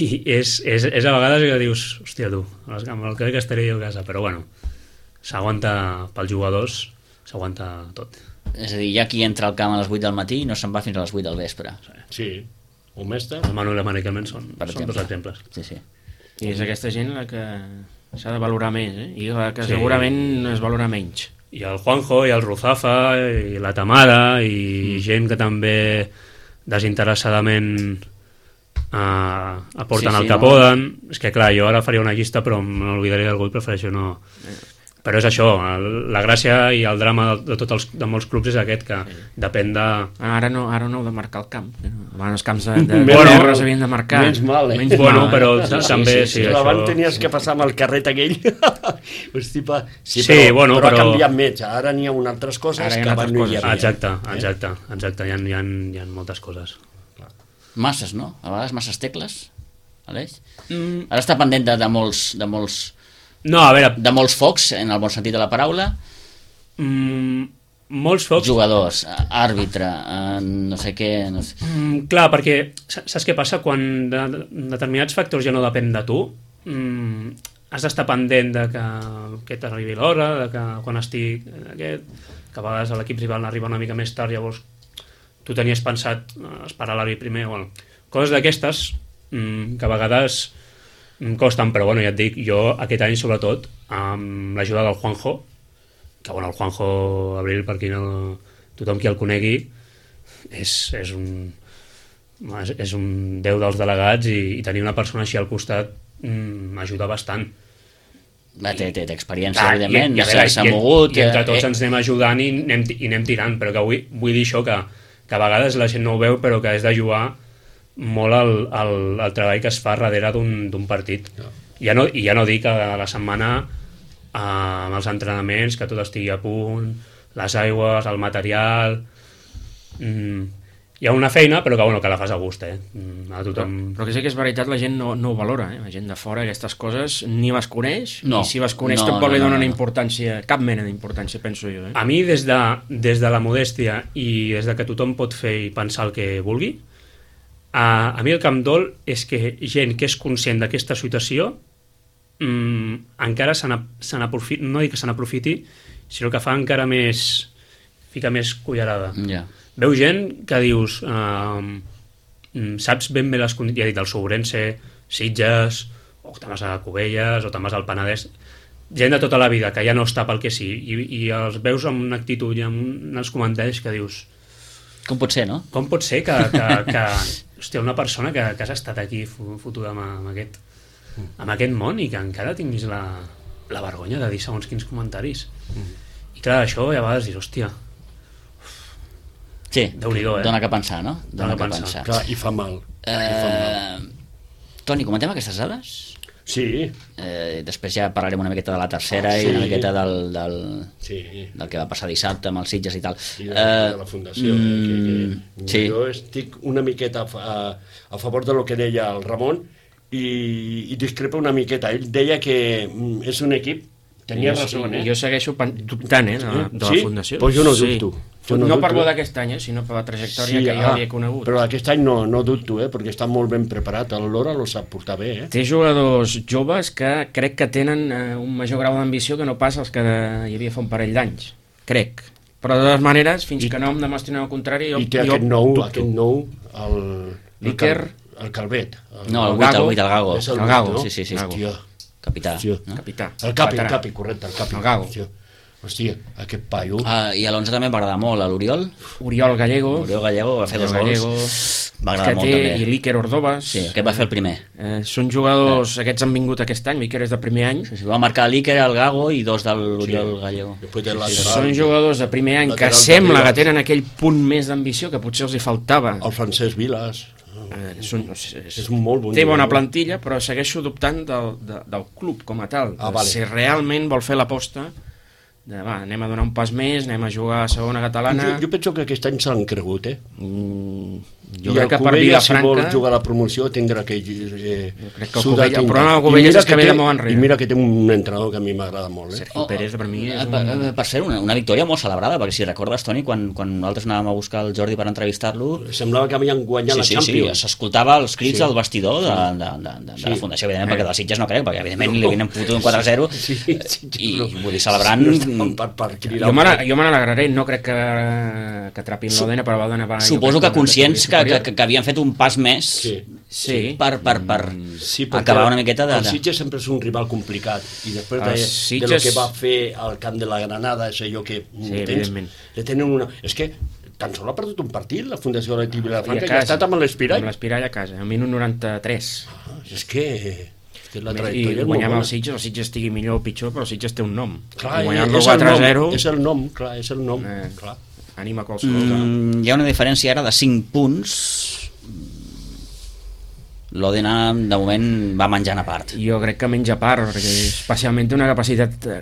i és, és, és a vegades que dius, hòstia tu, amb el que estaré jo a casa, però bueno, s'aguanta pels jugadors, s'aguanta tot. És a dir, hi ha qui entra al camp a les vuit del matí i no se'n va fins a les vuit del vespre. Sí. Un mestre? El Manuel Amaniquelment són, Per són dos exemple. exemples. Sí, sí. I és aquesta gent la que s'ha de valorar més, eh? I la que Sí. segurament es valora menys. I el Juanjo, i el Ruzafa, i la Tamara, i mm. gent que també desinteressadament eh, aporten Sí, sí, el que no? poden. És que clar, jo ara faria una llista però m'oblidaria d'algú i prefereixo no... Però és això, el, la gràcia i el drama de, de tots els, de molts clubs és aquest, que depèn de... Ara no, ara no heu de marcar el camp. Abans els camps de, de, de Menys terra mal. s'havien de marcar. Menys mal, eh? Menys Bueno, mal, però eh? sí, també, sí, sí, Però abans això... tenies que passar amb el carret aquell. Hosti, pa... Sí, Sí, però, bueno, però, però- ha canviat més. Ara n'hi ha unes altres coses Ara hi ha que altres abans no hi coses. havia. Exacte, Eh? exacte, exacte, hi ha, hi ha, hi ha moltes coses. Masses, no? A vegades masses tecles, Aleix? Mm, Ara està pendent de, de molts... De molts no, a veure, de molts focs, en el bon sentit de la paraula, mm, molts focs... jugadors, àrbitre, eh, no sé què... No sé. Mm, clar, perquè saps què passa? Quan de, de, determinats factors ja no depèn de tu, mm, has d'estar pendent de que, que t'arribi l'hora, de que quan estic aquest, que a vegades l'equip rival arriba una mica més tard, llavors tu tenies pensat eh, esperar l'àrbit primer, bueno, coses d'aquestes mm, que a vegades mm, costen, però bueno, ja et dic, jo aquest any sobretot, amb l'ajuda del Juanjo, que bueno, el Juanjo Abril, per qui no, tothom qui el conegui, és, és un és, és un déu dels delegats i, i tenir una persona així al costat mm, m'ajuda bastant. Va, té, té, té experiència, Clar, evidentment, i, i, a veure, s'ha i, mogut... i entre tots eh, ens anem ajudant i anem, i anem tirant, però que vull, vull dir això, que, que a vegades la gent no ho veu, però que és d'ajudar molt el, el, el treball que es fa darrere d'un partit. No. Ja no, I ja no dic que a la setmana eh, amb els entrenaments, que tot estigui a punt, les aigües, el material... Mm, hi ha una feina, però que, bueno, que la fas a gust, eh? Mm, a Però, tothom... però que sí que és veritat, la gent no, no ho valora, eh? La gent de fora aquestes coses ni les coneix, No. i si les coneix No, tampoc no, li no, donen no, no. importància, cap mena d'importància, penso jo. Eh? A mi, des de, des de la modèstia i des de que tothom pot fer i pensar el que vulgui, a, a mi el que em dol és que gent que és conscient d'aquesta situació mmm, encara se n'aprofiti, no dic que se n'aprofiti, sinó que fa encara més, fica més cullerada. Ja. Veu gent que dius, eh, saps ben bé les condicions, ja he dit, el Sobrense, Sitges, o te'n vas a Cubelles, o te'n vas al Penedès, gent de tota la vida que ja no està pel que sí, i, i els veus amb una actitud i amb uns comentaris que dius, Com pot ser, no? com pot ser que, que, que hòstia, una persona que, que has estat aquí fotuda amb, amb, aquest, amb aquest món i que encara tinguis la, la vergonya de dir segons quins comentaris. Mm. I clar, això a vegades dius, hòstia, Sí, Déu-n'hi-do, eh? dona que pensar, no? Dona, Dona que que pensar. pensar. Clar, i fa mal. I fa mal. Eh, Toni, comentem aquestes dades? Sí, Eh, després ja parlarem una miqueta de la tercera Sí. i una miqueta del, del, sí. del que va passar dissabte amb els Sitges i tal. I de, eh, de la Fundació. mm, eh, que, que sí. Jo estic una miqueta a, a, a favor de lo que deia el Ramon i, i discrepa una miqueta. Ell deia que mm, és un equip, tenia Jo- raó, eh? Jo segueixo pen- dubtant, eh, de, la- de la Sí? Fundació. Pues jo no dubto. Jo No, no no per dubto, bo eh? d'aquest any, eh, sinó per la trajectòria que jo ah, havia conegut. Però aquest any no, no dubto, eh? Perquè està molt ben preparat. El Lora lo sap portar bé, eh? Té jugadors joves que crec que tenen eh, un major grau d'ambició que no pas els que de, hi havia fa un parell d'anys. Crec. Però de totes maneres, fins I, que no em demostrin el contrari, jo, I té jo aquest nou, dubto. aquest nou, el... L'Iker. El, el Calvet. El, No, el el vuit, el Gago. vuit, el Gago. És el el Gago, vuit, no? sí, sí, sí. Hòstia. Capità. Hòstia. No? Capità. El Capi, el veterà. Capi, correcte, el Capi. El Gago. Hòstia. Hòstia, aquest paio... Ah, I a l'onze també m'agrada molt, a l'Oriol. Oriol Gallego. Oriol Gallego va fer dos Gallego, gols. M'agrada molt té, també. I l'Iker Ordovas. Sí, aquest va fer el primer. Eh, són jugadors, eh. aquests han vingut aquest any, l'Iker és de primer any. Sí, sí, va marcar l'Iker, el Gago i dos de l'Oriol sí. Gallego. Després de Sí, són jugadors de primer any que lateral sembla de que tenen aquell punt més d'ambició que potser els hi faltava. El Francesc Vilas. Eh, són, és, És un molt bon té bona jugador. plantilla, però segueixo dubtant del, de, del club com a tal. Ah, vale. Si realment vol fer l'aposta de, va, anem a donar un pas més, anem a jugar a segona catalana. Jo, jo penso que aquest any s'han cregut, eh? Mm, jo I crec el que per Covella, si Vilafranca... vol jugar a la promoció, tindrà que... Eh, crec que el Covella- el problema del I Covella mira és que ve té- de molt enrere. I mira que té un entrenador que a mi m'agrada molt, eh? Sergio Pérez per mi és Eh, per, un... eh, per ser una, una victòria molt celebrada, perquè si recordes, Toni, quan, quan nosaltres anàvem a buscar el Jordi per entrevistar-lo, Semblava que havien guanyat sí, la sí, sí, Champions. s'escoltava els crits Sí. del vestidor de, de, de, de, de la Sí. Fundació, evidentment, perquè dels Sitges no crec, perquè evidentment li havien fotut un quatre a zero Sí, sí, sí, i però- vull dir, celebrant... No estaven per, per cridar Jo me un n'ala- poc. jo me n'alegraré, no crec que, que trapin l'Odena, però l'Odena va... jo Suposo crec que conscients que, una que, que, que havien fet un pas més Sí. Sí. per, per, per Sí, perquè acabar una miqueta de... el Sitges sempre és un rival complicat i després de, Els de Sitges- lo que va fer al camp de la Granada, és allò que Sí, tens, evidentment. le tenen una... És que tan sols ha perdut un partit la Fundació Atlètic I a Vilafranca que casa, ha estat amb l'Espirall. Amb l'Espirall a casa, al minut noranta-tres. Ah, és que, és que la I trajectòria és molt guanyar amb bona. el Sitges, el Sitges estigui millor o pitjor, però el Sitges té un nom. Clar, I guanyar-lo és el quatre a nom, zero, és el nom, clar, és el nom, Eh. clar. ànima qualsevol. Mm, hi ha una diferència ara de cinc punts. L'Odena, de moment, va menjant a part. Jo crec que menja part, perquè especialment té una capacitat eh,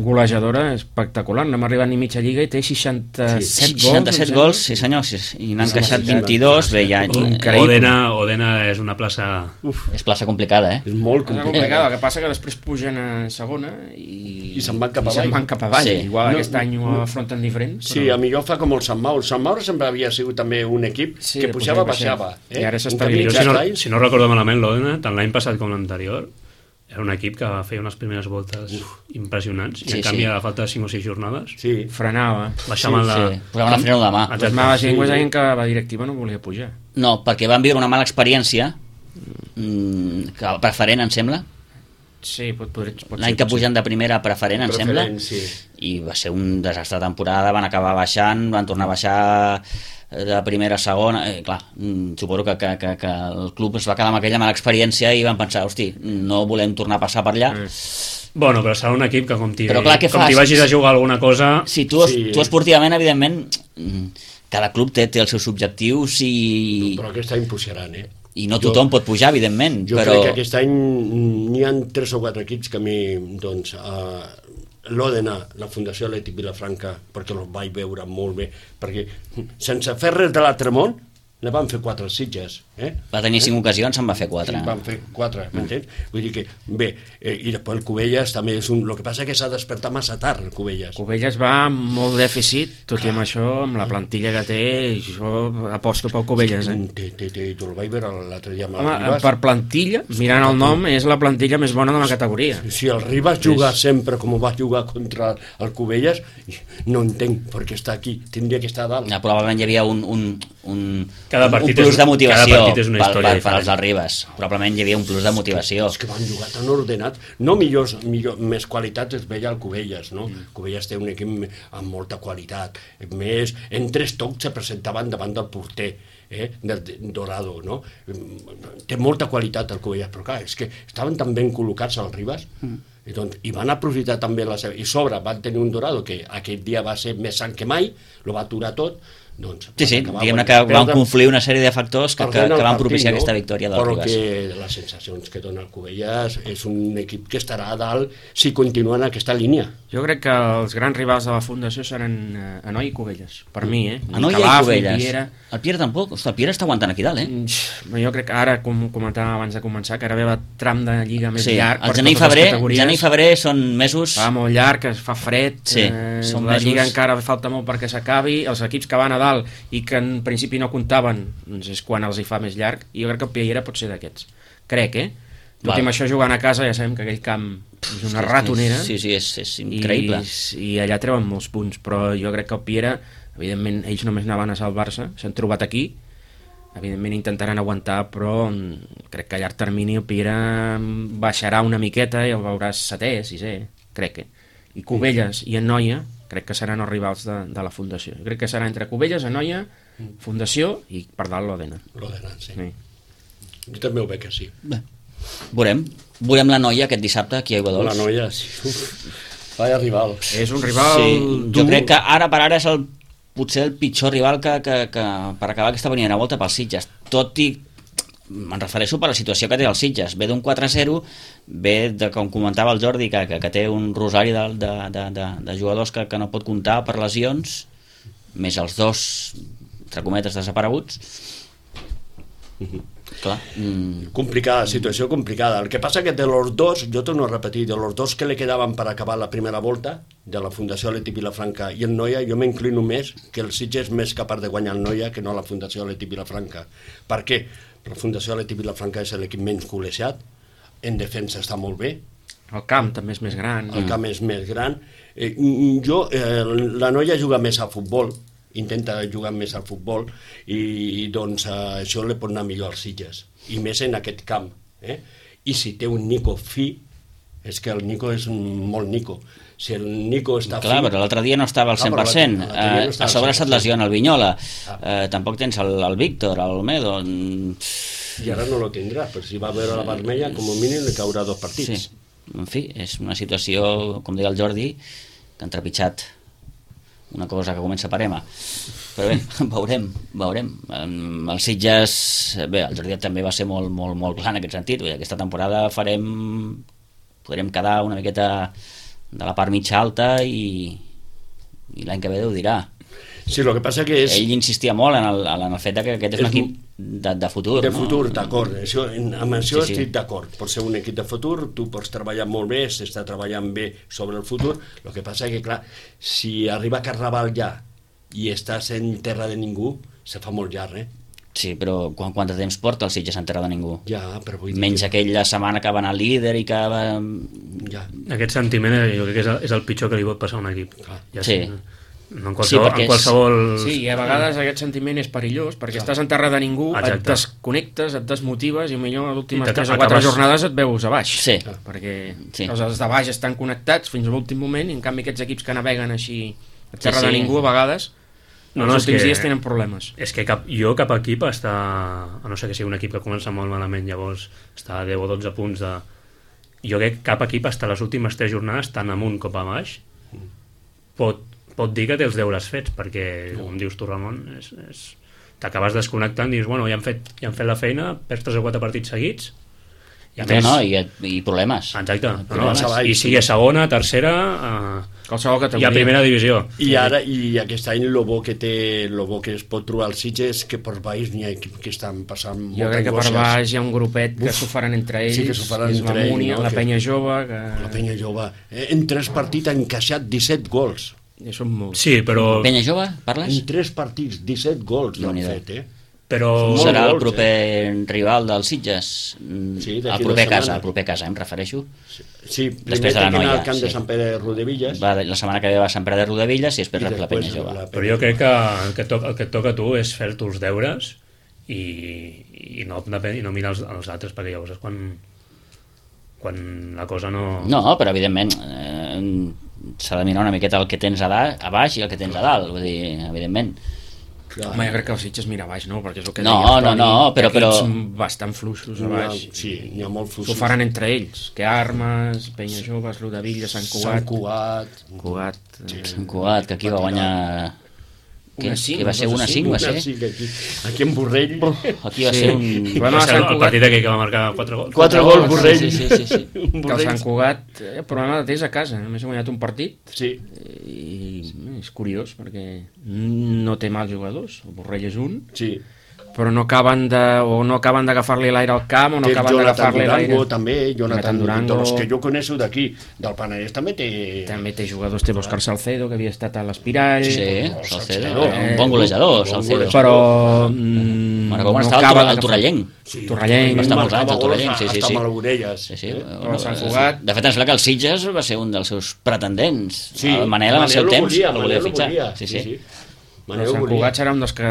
golejadora espectacular. No hem arribat ni mitja lliga i té seixanta-set gols. seixanta-set gols, sí senyor, sí, i n'han encaixat vint-i-dos, bé, ja... Increïble. Odena, Odena és una plaça... Uf, És plaça complicada, eh? és molt És complicat. complicat, el que passa que després pugen a segona i, I se'n van cap i se'n avall. van cap avall. Sí. Igual No, aquest any ho afronten diferent. Sí, però... a millor fa com el Sant Maur. El Sant Maur sempre havia sigut també un equip Sí, que pujava, pujava, baixava. Eh? I ara s'ha En canvi, estabilitzat. Jo, si no, aquests anys- si no recordo malament, l'Odena, tant l'any passat com l'anterior, era un equip que feia unes primeres voltes Uf. impressionants, i Sí, en canvi sí. a falta de cinc o sis jornades Sí, Frenava. baixaven Sí, la... Sí, posaven el freno de mà. Les males llengües deien que la directiva no volia pujar. No, perquè van viure una mala experiència, mm, que preferent, em sembla, Sí, pot, pot, pot l'any ser, que pot ser. pugen de primera a preferent, em sembla, preferent, sí. i va ser un desastre de temporada, van acabar baixant, van tornar a baixar de primera a segona, eh, clar, mm, suposo que, que, que, que el club es va quedar amb aquella mala experiència i van pensar, hosti, no volem tornar a passar per allà. Mm. Bueno, però serà un equip que com t'hi Però clar, què com fas? t'hi vagis a jugar alguna cosa... Si tu, Sí. tu esportivament, evidentment, mm, cada club té, té els seus objectius i, Però aquest any pujaran, eh? i no tothom pot pujar, evidentment, Jo però... crec que aquest any n'hi ha tres o quatre equips que a mi, doncs, uh, l'Òdena, la Fundació Atlètic Vilafranca, perquè els vaig veure molt bé, perquè sense fer res de l'altre món, ne van fer quatre Sitges, eh? Va tenir cinc ocasions, se'n va fer quatre. Sí, van fer quatre, m'entens? Vull dir que, bé, eh, i després el Cubelles també és un... El que passa és que s'ha despertat massa tard, el Cubelles. Cubelles va amb molt dèficit, tot i amb això, amb la plantilla que té, jo aposto pel Cubelles, eh? Té, té, té, tu el vaig veure l'altre dia amb el Home, Ribas. per plantilla, mirant el nom, és la plantilla més bona de la categoria. Si el Ribas juga sempre com va jugar contra el Cubelles, no entenc per què està aquí, tindria que estar a dalt. Ja, probablement hi havia un, un, un, Cada un partit plus és- de motivació cada partit és una per, història per, per diferent. als del Ribas. Probablement hi havia un plus de motivació. És que van jugar tan ordenat. No millors, millor, més qualitat es veia al Cubelles, no? Mm. Cubelles té un equip amb molta qualitat. Més, en tres tocs se presentaven davant del porter, eh? del de- Dorado, no? Té molta qualitat el Cubelles, però clar, és que estaven tan ben col·locats al Ribas, mm. I, doncs, i van aprofitar també la seva... I sobre van tenir un Dorado que aquest dia va ser més sant que mai, lo va aturar tot, doncs... Sí, sí, acabar diguem-ne guanyant. que van Perdre- confluir una sèrie de factors que, que, perdent el que van partit, propiciar no? aquesta victòria del Però Ribas. que les sensacions que dona el Cubelles és un equip que estarà a dalt si continua en aquesta línia. Jo crec que els grans rivals de la Fundació seran eh, Anoi i Cubelles, per mi, eh? Ni Anoia i Calaf, ni Cubelles. Piera. El Pierre tampoc. Ostres, el Pierre està aguantant aquí dalt, eh? Mm, Jo crec que ara, com comentàvem abans de començar, que ara ve el tram de lliga més Sí, llarg el per gener i totes les febrer, categories. gener i febrer són mesos... Fa molt llarg, es fa fred, Sí, eh, són la mesos- lliga encara falta molt perquè s'acabi, els equips que van a dalt i que en principi no comptaven, doncs és quan els hi fa més llarg, i jo crec que el Piera pot ser d'aquests. Crec, eh? Tot Val. i amb això jugant a casa ja sabem que aquell camp és una ratonera. Sí, sí, és, és increïble. I, i allà treuen molts punts, però jo crec que el Piera, evidentment ells només anaven a salvar-se, s'han trobat aquí, evidentment intentaran aguantar, però mm, crec que a llarg termini el Piera mm, baixarà una miqueta i el veuràs setè, sisè, crec que. i Cubelles i Anoia crec que seran els rivals de, de la Fundació. Crec que serà entre Cubelles, Anoia, Fundació i per dalt l'Òdena. L'Òdena, sí. sí. Jo també ho veig que sí. Bé, veurem. Veurem la Noia aquest dissabte aquí a Aiguadols. La Noia, sí. Uf, vaya rival. És un rival Sí, dur. jo crec que ara per ara és el, potser el pitjor rival que, que, que per acabar aquesta primera volta pels Sitges. Tot i me'n refereixo per la situació que té el Sitges, ve d'un quatre a zero, ve de, com comentava el Jordi, que, que, que té un rosari de, de, de, de, de jugadors que, que no pot comptar per lesions, més els dos, entre cometes, desapareguts. Clar. Mm. Complicada, situació complicada. El que passa que de los dos, jo torno a repetir, de los dos que le quedaven per acabar la primera volta, de la Fundació Atlètic Vilafranca i el Noia, jo m'inclino més que el Sitges és més capaç de guanyar el Noia que no la Fundació Atlètic Vilafranca. Per què? La Fundació Atlètic Vilafranca és l'equip menys golejat, en defensa està molt bé, El camp també és més gran. el camp és més gran. Eh, jo, eh, la Noia juga més a futbol, intenta jugar més al futbol i, i doncs eh, això li pot anar millor als Sitges, i més en aquest camp. Eh? I si té un Nico fi, és que el Nico és molt Nico. Si el Nico està Clar, fi... però l'altre dia no estava al cent per cent. Ah, però l'altre dia no Eh, estava a sobre al cent per cent. se't lesiona el Vinyola. Ah. Eh, tampoc tens el, el Víctor, el Olmedo. Mm, I ara no lo tindrà, però si va veure la vermella, com a mínim li caurà dos partits. Sí, en fi, és una situació, com deia el Jordi, que han trepitjat una cosa que comença per ema. Però bé, veurem, veurem. Em, Els Sitges, bé, el Jordi també va ser molt, molt, molt clar en aquest sentit. Vull dir, aquesta temporada farem, podrem quedar una miqueta de la part mitja alta i, i l'any que ve Déu dirà. Sí, el que passa que és... Ell insistia molt en el, en el fet de que aquest és un És equip de, de futur. De no? futur, d'acord. Això, amb això Sí, sí. estic d'acord. Pot ser un equip de futur, tu pots treballar molt bé, s'està treballant bé sobre el futur. El que passa que, clar, si arriba Carnaval ja i estàs en terra de ningú, se fa molt llarg, eh? Sí, però quant, quant de temps porta el Sitges en terra de ningú? Ja, però vull dir... Menys que... aquella setmana que va anar líder i que va... Ja. Aquest sentiment eh, jo crec que és el, és el pitjor que li pot passar a un equip. Clar. Ja Sí. sé, no, en qualsevol... Sí, perquè en qualsevol... Sí, i a vegades aquest sentiment és perillós, perquè estàs en terra de ningú, Exacte. et desconnectes, et desmotives, i millor a les últimes I tres o t'acabes- quatre jornades et veus a baix. Sí. Perquè Sí. els, els de baix estan connectats fins a l'últim moment, i en canvi aquests equips que naveguen així a terra Sí, sí. de ningú, a vegades, No, els no, és últims que- dies tenen problemes. És que cap, jo cap equip està, a no ser que sigui un equip que comença molt malament, llavors està a deu o dotze punts de... Jo crec que cap equip està a les últimes tres jornades, tant amunt com a baix, pot, pot dir que té els deures fets, perquè, com dius tu, Ramon, és, és... t'acabes desconnectant i dius, bueno, ja han fet, ja han fet la feina, perds tres o quatre partits seguits, i a No, més... no, i, i problemes. Exacte, no, no, Problemes. i sigui segona, tercera, eh, Qualsevol i categoria. a primera divisió. I ara, i aquest any lo bo que té, lo bo que es pot trobar al Sitges és que per baix n'hi ha equips que estan passant Jo moltes crec que per angoixes. baix hi ha un grupet que s'ho faran entre ells, Sí, que s'ho faran és entre la ells, Múnia, no? la Que- Penya Jove, que... La Penya Jove, eh, en tres partits ha encaixat disset gols. I són molts. Sí, però... Penya Jove, parles? En tres partits, disset gols l'han Déu-n'hi-do. fet, eh? però... Molt Serà el gols, proper rival del Sitges? Mm, Sí, el d'aquí proper dues casa, setmanes. el proper casa, em refereixo. Sí, primer Després de la té que anar Noia, al camp de sí. Sant Pere de Rodevilles. Va, la setmana que ve va a Sant Pere de Rodevilles i després i rep la Penya Jove. la Però jo crec que el que, et toca, el que et toca a tu és fer-te els deures i, i, no, i no mirar els, els altres, perquè llavors és quan, quan la cosa no... No, però evidentment eh, s'ha de mirar una miqueta el que tens a, da, a baix i el que tens a dalt, vull dir, evidentment. Clar. Home, jo crec que el Sitges mira a baix, no? Perquè és el que No, deia el no, Toni, no, però- equips però- bastant fluixos a N'hi ha- baix. Sí, n'hi ha molt S'ho fluixos. faran entre ells, que Armes, Penya Joves, Rodavilla, Sant Sant Cugat... Cugat. Cugat... eh, Sant Cugat, que aquí va guanyar... Què? Una cinc, Que va ser dos a una cinc, cinc, va Una ser? sí, que aquí, aquí en Borrell. Aquí va Sí. ser un... Va anar Va a ser Sant el Cugat, partit aquell que va marcar quatre gols. Quatre gols, gols, Borrell. sí, sí, sí, sí. Un que el Borrell. Sant Cugat, eh, el problema de té és a casa, només ha guanyat un partit, Sí, i eh, és curiós, perquè no té mals jugadors, el Borrell és un, sí. però no acaben de, o no acaben d'agafar-li l'aire al camp, o no Té acaben Jonathan d'agafar-li l'aire. Durango també, Jonathan Durango. de los que jo coneixo d'aquí, del Penedès també té... També té jugadors, té l'Òscar Salcedo, que havia estat a l'Espirall, Sí, Salcedo, Salcedo. un bon golejador, Bon Salcedo. golejador. però mm, Bueno, com no està el, acaba Torre- el d'agafar- Torrellenc. Sí, Torrellenc. Va estar molts marcava anys al gols Torrellenc, sí, sí, hasta sí. Malgorelles. Sí, sí. Eh? Però Sant Cugat- De fet, em sembla que el Sitges va ser un dels seus pretendents. Sí, el Manel, en el seu lo temps, volia, el volia Manel lo fitxar. volia, Sí, sí. Però Manel ho Sant volia. Cugat serà un dels que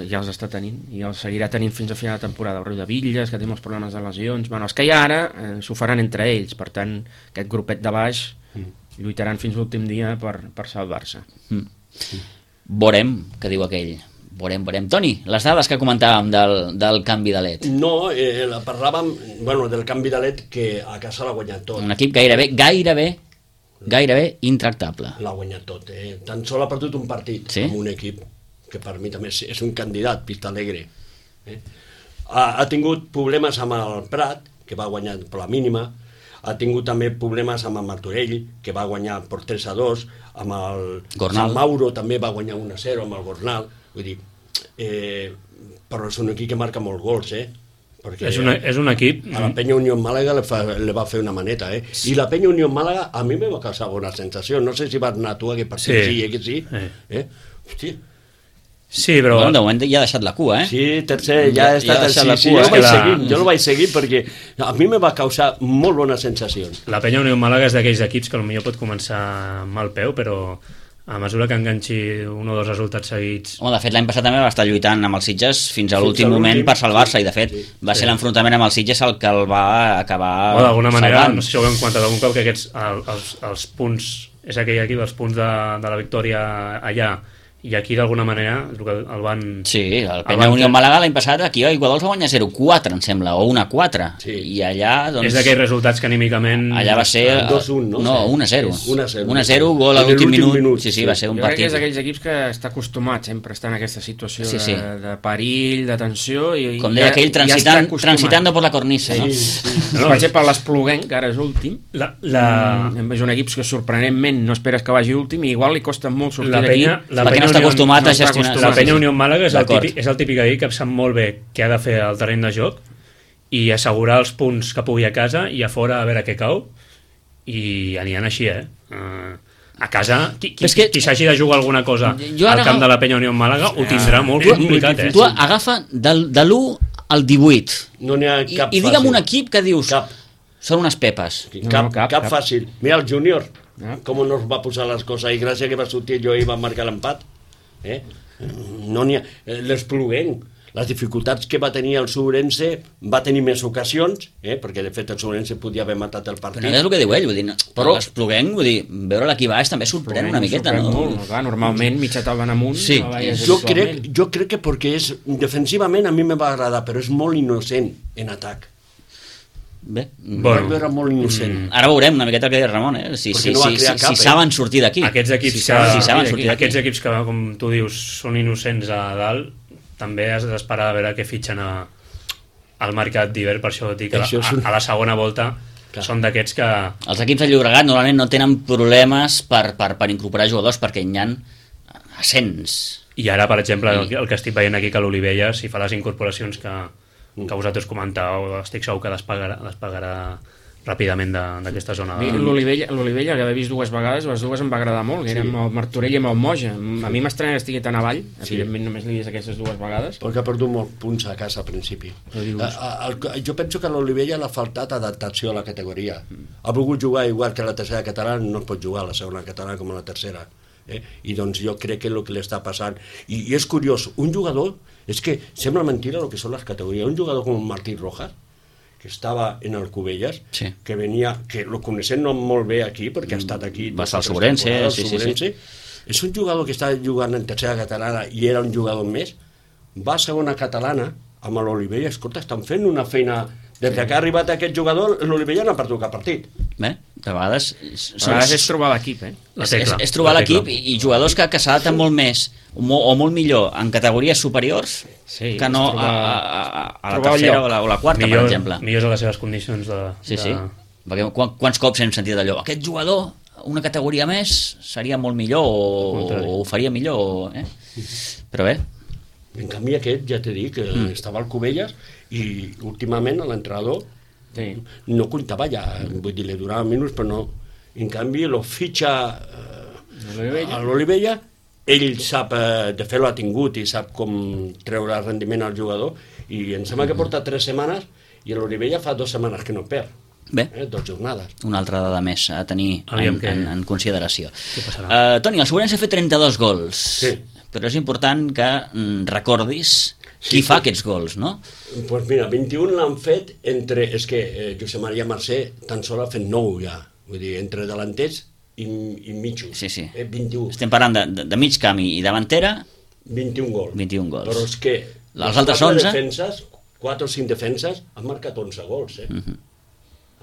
ja els està tenint i els seguirà tenint fins a final de temporada. El Riu de Villes, que té molts problemes de lesions, bueno, els que hi ha ara eh, s'ho faran entre ells, per tant aquest grupet de baix lluitaran fins l'últim dia per, per salvar-se. Mm. Veurem, que diu aquell. Veurem, veurem. Toni, les dades que comentàvem del, del canvi de L E D. No, eh, parlàvem bueno, del canvi de L E D que a casa l'ha guanyat tot. Un equip gairebé, gairebé, gairebé intractable. L'ha guanyat tot. Eh? Tan sol ha perdut un partit sí? amb un equip que per mi també és, és un candidat, Vista Alegre. Eh? Ha, ha tingut problemes amb el Prat, que va guanyar per la mínima, ha tingut també problemes amb el Martorell, que va guanyar per tres a dos, amb el Gornal. Sant Mauro també va guanyar un a zero amb el Gornal. Vull dir, eh, però és un equip que marca molts gols, eh? Perquè és, una, és un equip... a la Penya Unió Màlaga le, fa, le va fer una maneta, eh? Sí. I la Penya Unió Màlaga a mi me va causar bona sensació. No sé si vas anar tu a aquest partit, sí, sí, eh, que sí. Eh? Eh? Hosti. Sí, però... Bueno, de moment ja ha deixat la cua, eh? Sí, tercer, ja ha estat... Ja ja sí, sí, cua, jo, eh? vaig La... seguir, jo el vaig seguir perquè a mi me va causar molt bones sensacions. La Penya Unió Màlaga és d'aquells equips que potser pot començar amb mal peu, però a mesura que enganxi un o dos resultats seguits... Home, de fet, l'any passat també va estar lluitant amb els Sitges fins a l'últim moment per salvar-se, i de fet sí, va sí. ser l'enfrontament amb els Sitges el que el va acabar o d'alguna manera, salvant. no sé si ho hem comentat algun cop, que aquests, el, els, els punts, és aquell equip, els punts de, de la victòria allà, i aquí d'alguna manera el, el van... Sí, el Penya Unió Màlaga l'any passat aquí a Iguadols va guanyar zero quatre, em sembla, o un a quatre, sí. i allà doncs... És d'aquells resultats que anímicament... Allà va ser... dos un, no? No, un a zero. un a zero. un a zero, gol a l'últim minut. minut. Sí, sí, sí. va ser un jo crec que partit. és d'aquells equips que està acostumat sempre a estar en aquesta situació sí, sí. De, de perill, de tensió... I, com deia aquell, transitant, ja transitando por la cornisa. Sí, No? sí. No, per exemple, l'Espluguenc, que ara és últim, la, la... Mm, és un equip que sorprenentment no esperes que vagi últim i igual li costa molt sortir La d'aquí. penya, la perquè penya no està Unió- acostumat a no està gestionar... acostumat. La Penya Unió Màlaga és el, D'acord. típic, és el típic equip que sap molt bé què ha de fer al terreny de joc i assegurar els punts que pugui a casa i a fora a veure què cau, i aniran així, eh? Uh, a casa, qui, qui, que... qui s'hagi de jugar alguna cosa Jo al ara... camp de la Penya Unió Màlaga ho tindrà molt Tu, complicat, eh? tu agafa del, de l'u al divuit No n'hi ha i, cap i digue'm fàcil. un equip que dius Cap. són unes pepes. Cap, No, cap, no, cap, cap cap. fàcil. Mira el júnior, Ah. com nos va posar les coses, i gràcies que va sortir jo i va marcar l'empat. Eh? No n'hi ha... L'Espluguenc, les dificultats que va tenir el Sobrense, va tenir més ocasions, eh? perquè de fet el Sobrense podia haver matat el partit. Però no és el que diu ell, vull dir, no, Però- l'Espluguenc, vull dir, veure l'equip baix també sorprèn una miqueta, Sorprèn no? molt, clar, normalment mitja taula en amunt. Sí. no veies Jo habitualment. crec, jo crec que perquè és, defensivament a mi me va agradar, però és molt innocent en atac. Bé, Bueno, vaig veure molt innocent. ara veurem una miqueta el que deia Ramon, eh? si, Perquè si, no va si, crear si, cap, si eh? saben sortir d'aquí. Aquests equips, si, que, saben, si saben sortir d'aquí. aquests equips que, com tu dius, són innocents a dalt, també has d'esperar a veure què fitxen a, al mercat d'hivern, per això dic que Això és a, un- a la segona volta Clar. són d'aquests que... Els equips de Llobregat normalment no tenen problemes per, per, per incorporar jugadors perquè hi ha ascens. I ara, per exemple, I- el, el que estic veient aquí, que l'Olivella, si fa les incorporacions que, que vosaltres comentàveu, estic segur que despegarà, despegarà ràpidament de- d'aquesta zona. A mi L'Olivella, l'Olivella, que l'he vist dues vegades, les dues em va agradar molt, que sí. Eren el Martorell i amb el Moja. A mi m'estranya que estigui tan avall, Sí. evidentment només l'he vist aquestes dues vegades. Perquè ha perdut molts punts a casa al principi. dius? A, a, el, jo penso que a l'Olivella l'ha faltat adaptació a la categoria. Ha volgut jugar igual que a la tercera catalana, no es pot jugar a la segona catalana com a la tercera. Eh? I doncs jo crec que és el que li està passant. I, I és curiós, un jugador, és que sembla mentira el que són les categories, un jugador com Martí Rojas, que estava en el Cubelles, Sí. que venia, que lo coneixem no molt bé aquí, perquè ha estat aquí... Va estar al totes les Sobrense, temporades, sí, sí, Sobrense. És un jugador que està jugant en tercera catalana i era un jugador més, va a segona catalana amb l'Olivella, escolta, estan fent una feina... Des que ha arribat aquest jugador, l'Olivella no ha perdut cap partit. Bé, de vegades... A vegades és trobar l'equip, eh? La és, tecla, és, és trobar la l'equip tecla. i, i jugadors que, que s'adapten molt més o, mo, o molt millor en categories superiors Sí, que no és trobar- a, a, a, a la trobar el tercera lloc. o la, o la quarta, millor, per exemple. millors a les seves condicions de... Sí, de... sí. Perquè quan, quants cops hem sentit allò? Aquest jugador, una categoria més, seria molt millor o, o ho faria millor. O, eh? Però bé, En canvi aquest, ja t'he dit, que mm. estava al Cubelles i últimament l'entrenador Sí. no comptava ja, vull dir, li donava minuts, però no. En canvi, lo fitxa eh, L'Olivella. a l'Olivella, ell sap, eh, de fet l'ha tingut i sap com treure rendiment al jugador, i em sembla que porta tres setmanes i l'Olivella fa dues setmanes que no perd. bé. Eh, dos jornades. Una altra dada més a tenir Aviam en, què- en, en consideració. què passarà. Uh, Toni, el Sobrense ha fet trenta-dos gols, Sí. però és important que mm, recordis Sí, qui fa sí. aquests gols, no? Doncs pues mira, vint-i-un l'han fet entre... És que eh, Josep Maria Mercè tan sol ha fet nou ja. Vull dir, entre delanters i, i mitjos. Sí, sí. Eh, vint-i-u. Estem parlant de, de, de mig camp i davantera, vint-i-un gols. vint-i-un gols. Però és que Els altres quatre onze? defenses, quatre o cinc defenses, han marcat onze gols, eh? Mhm.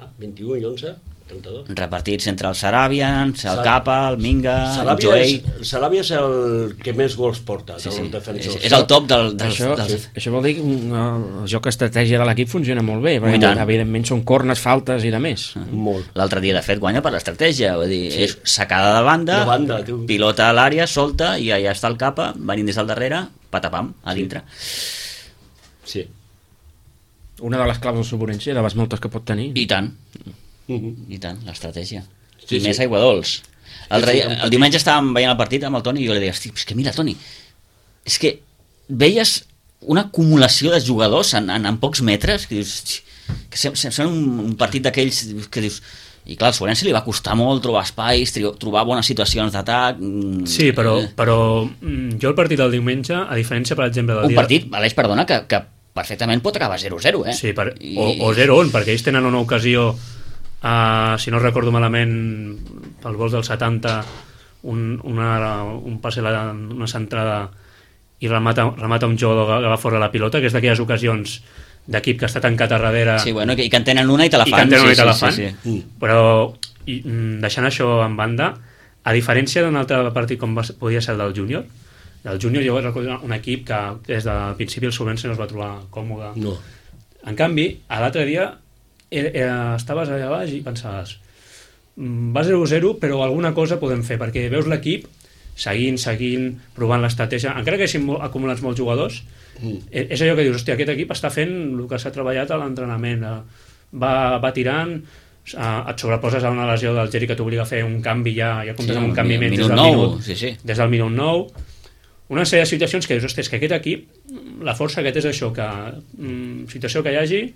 Ah, vint-i-u i onze, trenta-dos. Repartits entre el Sarabians, el Sar- Capa, el Minga, el Saràbia Joey... és, el Saràbia és el que més gols porta, Sí, dels sí. defensors. És, és el top del, dels... Això, dels... això vol dir que mm, el joc estratègia de l'equip funciona molt bé, I perquè tant. evidentment són cornes, faltes i de més. Molt. L'altre dia, de fet, guanya per l'estratègia, vull dir, Sí. és sacada de banda, De banda, tu. pilota a l'àrea, solta, i allà està el Capa, venint des del darrere, patapam, a dintre. Sí. Una de les claus del Suburense, de les moltes que pot tenir. I tant, Mhm. i tant, l'estratègia. Sí, I sí. més aigua dolç. El, Sí, sí, sí, un el petit- diumenge estàvem veient el partit amb el Toni i jo li deia, hosti, és que mira, Toni, és que veies una acumulació de jugadors en, en, en pocs metres, que dius, "Hosti", que sem- sem- sembla un, un partit d'aquells que dius... I clar, al Sorense li va costar molt trobar espais, tri- trobar bones situacions d'atac... mm, Sí, però, eh, però mm, jo el partit del diumenge, a diferència, per exemple, del Un dia... partit, Aleix, perdona, que, que perfectament pot acabar zero a zero, eh? Sí, per, I- o, o zero a un, perquè ells tenen una ocasió, uh, si no recordo malament, pels vols del setanta, un, una, un passe, la, una centrada i remata, remata un jugador que va fora la pilota, que és d'aquelles ocasions d'equip que està tancat a darrere Sí, bueno, i que en tenen una i te la i fan. que en tenen una i sí, te la sí, fan. sí, sí. Mm. Però i, mm, deixant això en banda, a diferència d'un altre partit com va, podia ser el del júnior, el júnior jo recordo un equip que des del principi el Sobrense no es va trobar còmode. No. En canvi, a l'altre dia era, era, estaves allà baix i pensaves "Mm, va zero a zero però alguna cosa podem fer, perquè veus l'equip seguint, seguint, provant l'estratègia, encara que hagin mo- acumulats molts jugadors, Mm. eh, és allò que dius, hòstia, aquest equip està fent el que s'ha treballat a l'entrenament, eh, va, va tirant, eh, et sobreposes a una lesió del Geri que t'obliga a fer un canvi, ja, ja comptes Sí, amb un canvi mi- menys minut des del nou, minut, sí, sí. des del minut nou, una sèrie de situacions que dius, hòstia, és que aquest equip, la força que té és això, que mm, situació que hi hagi,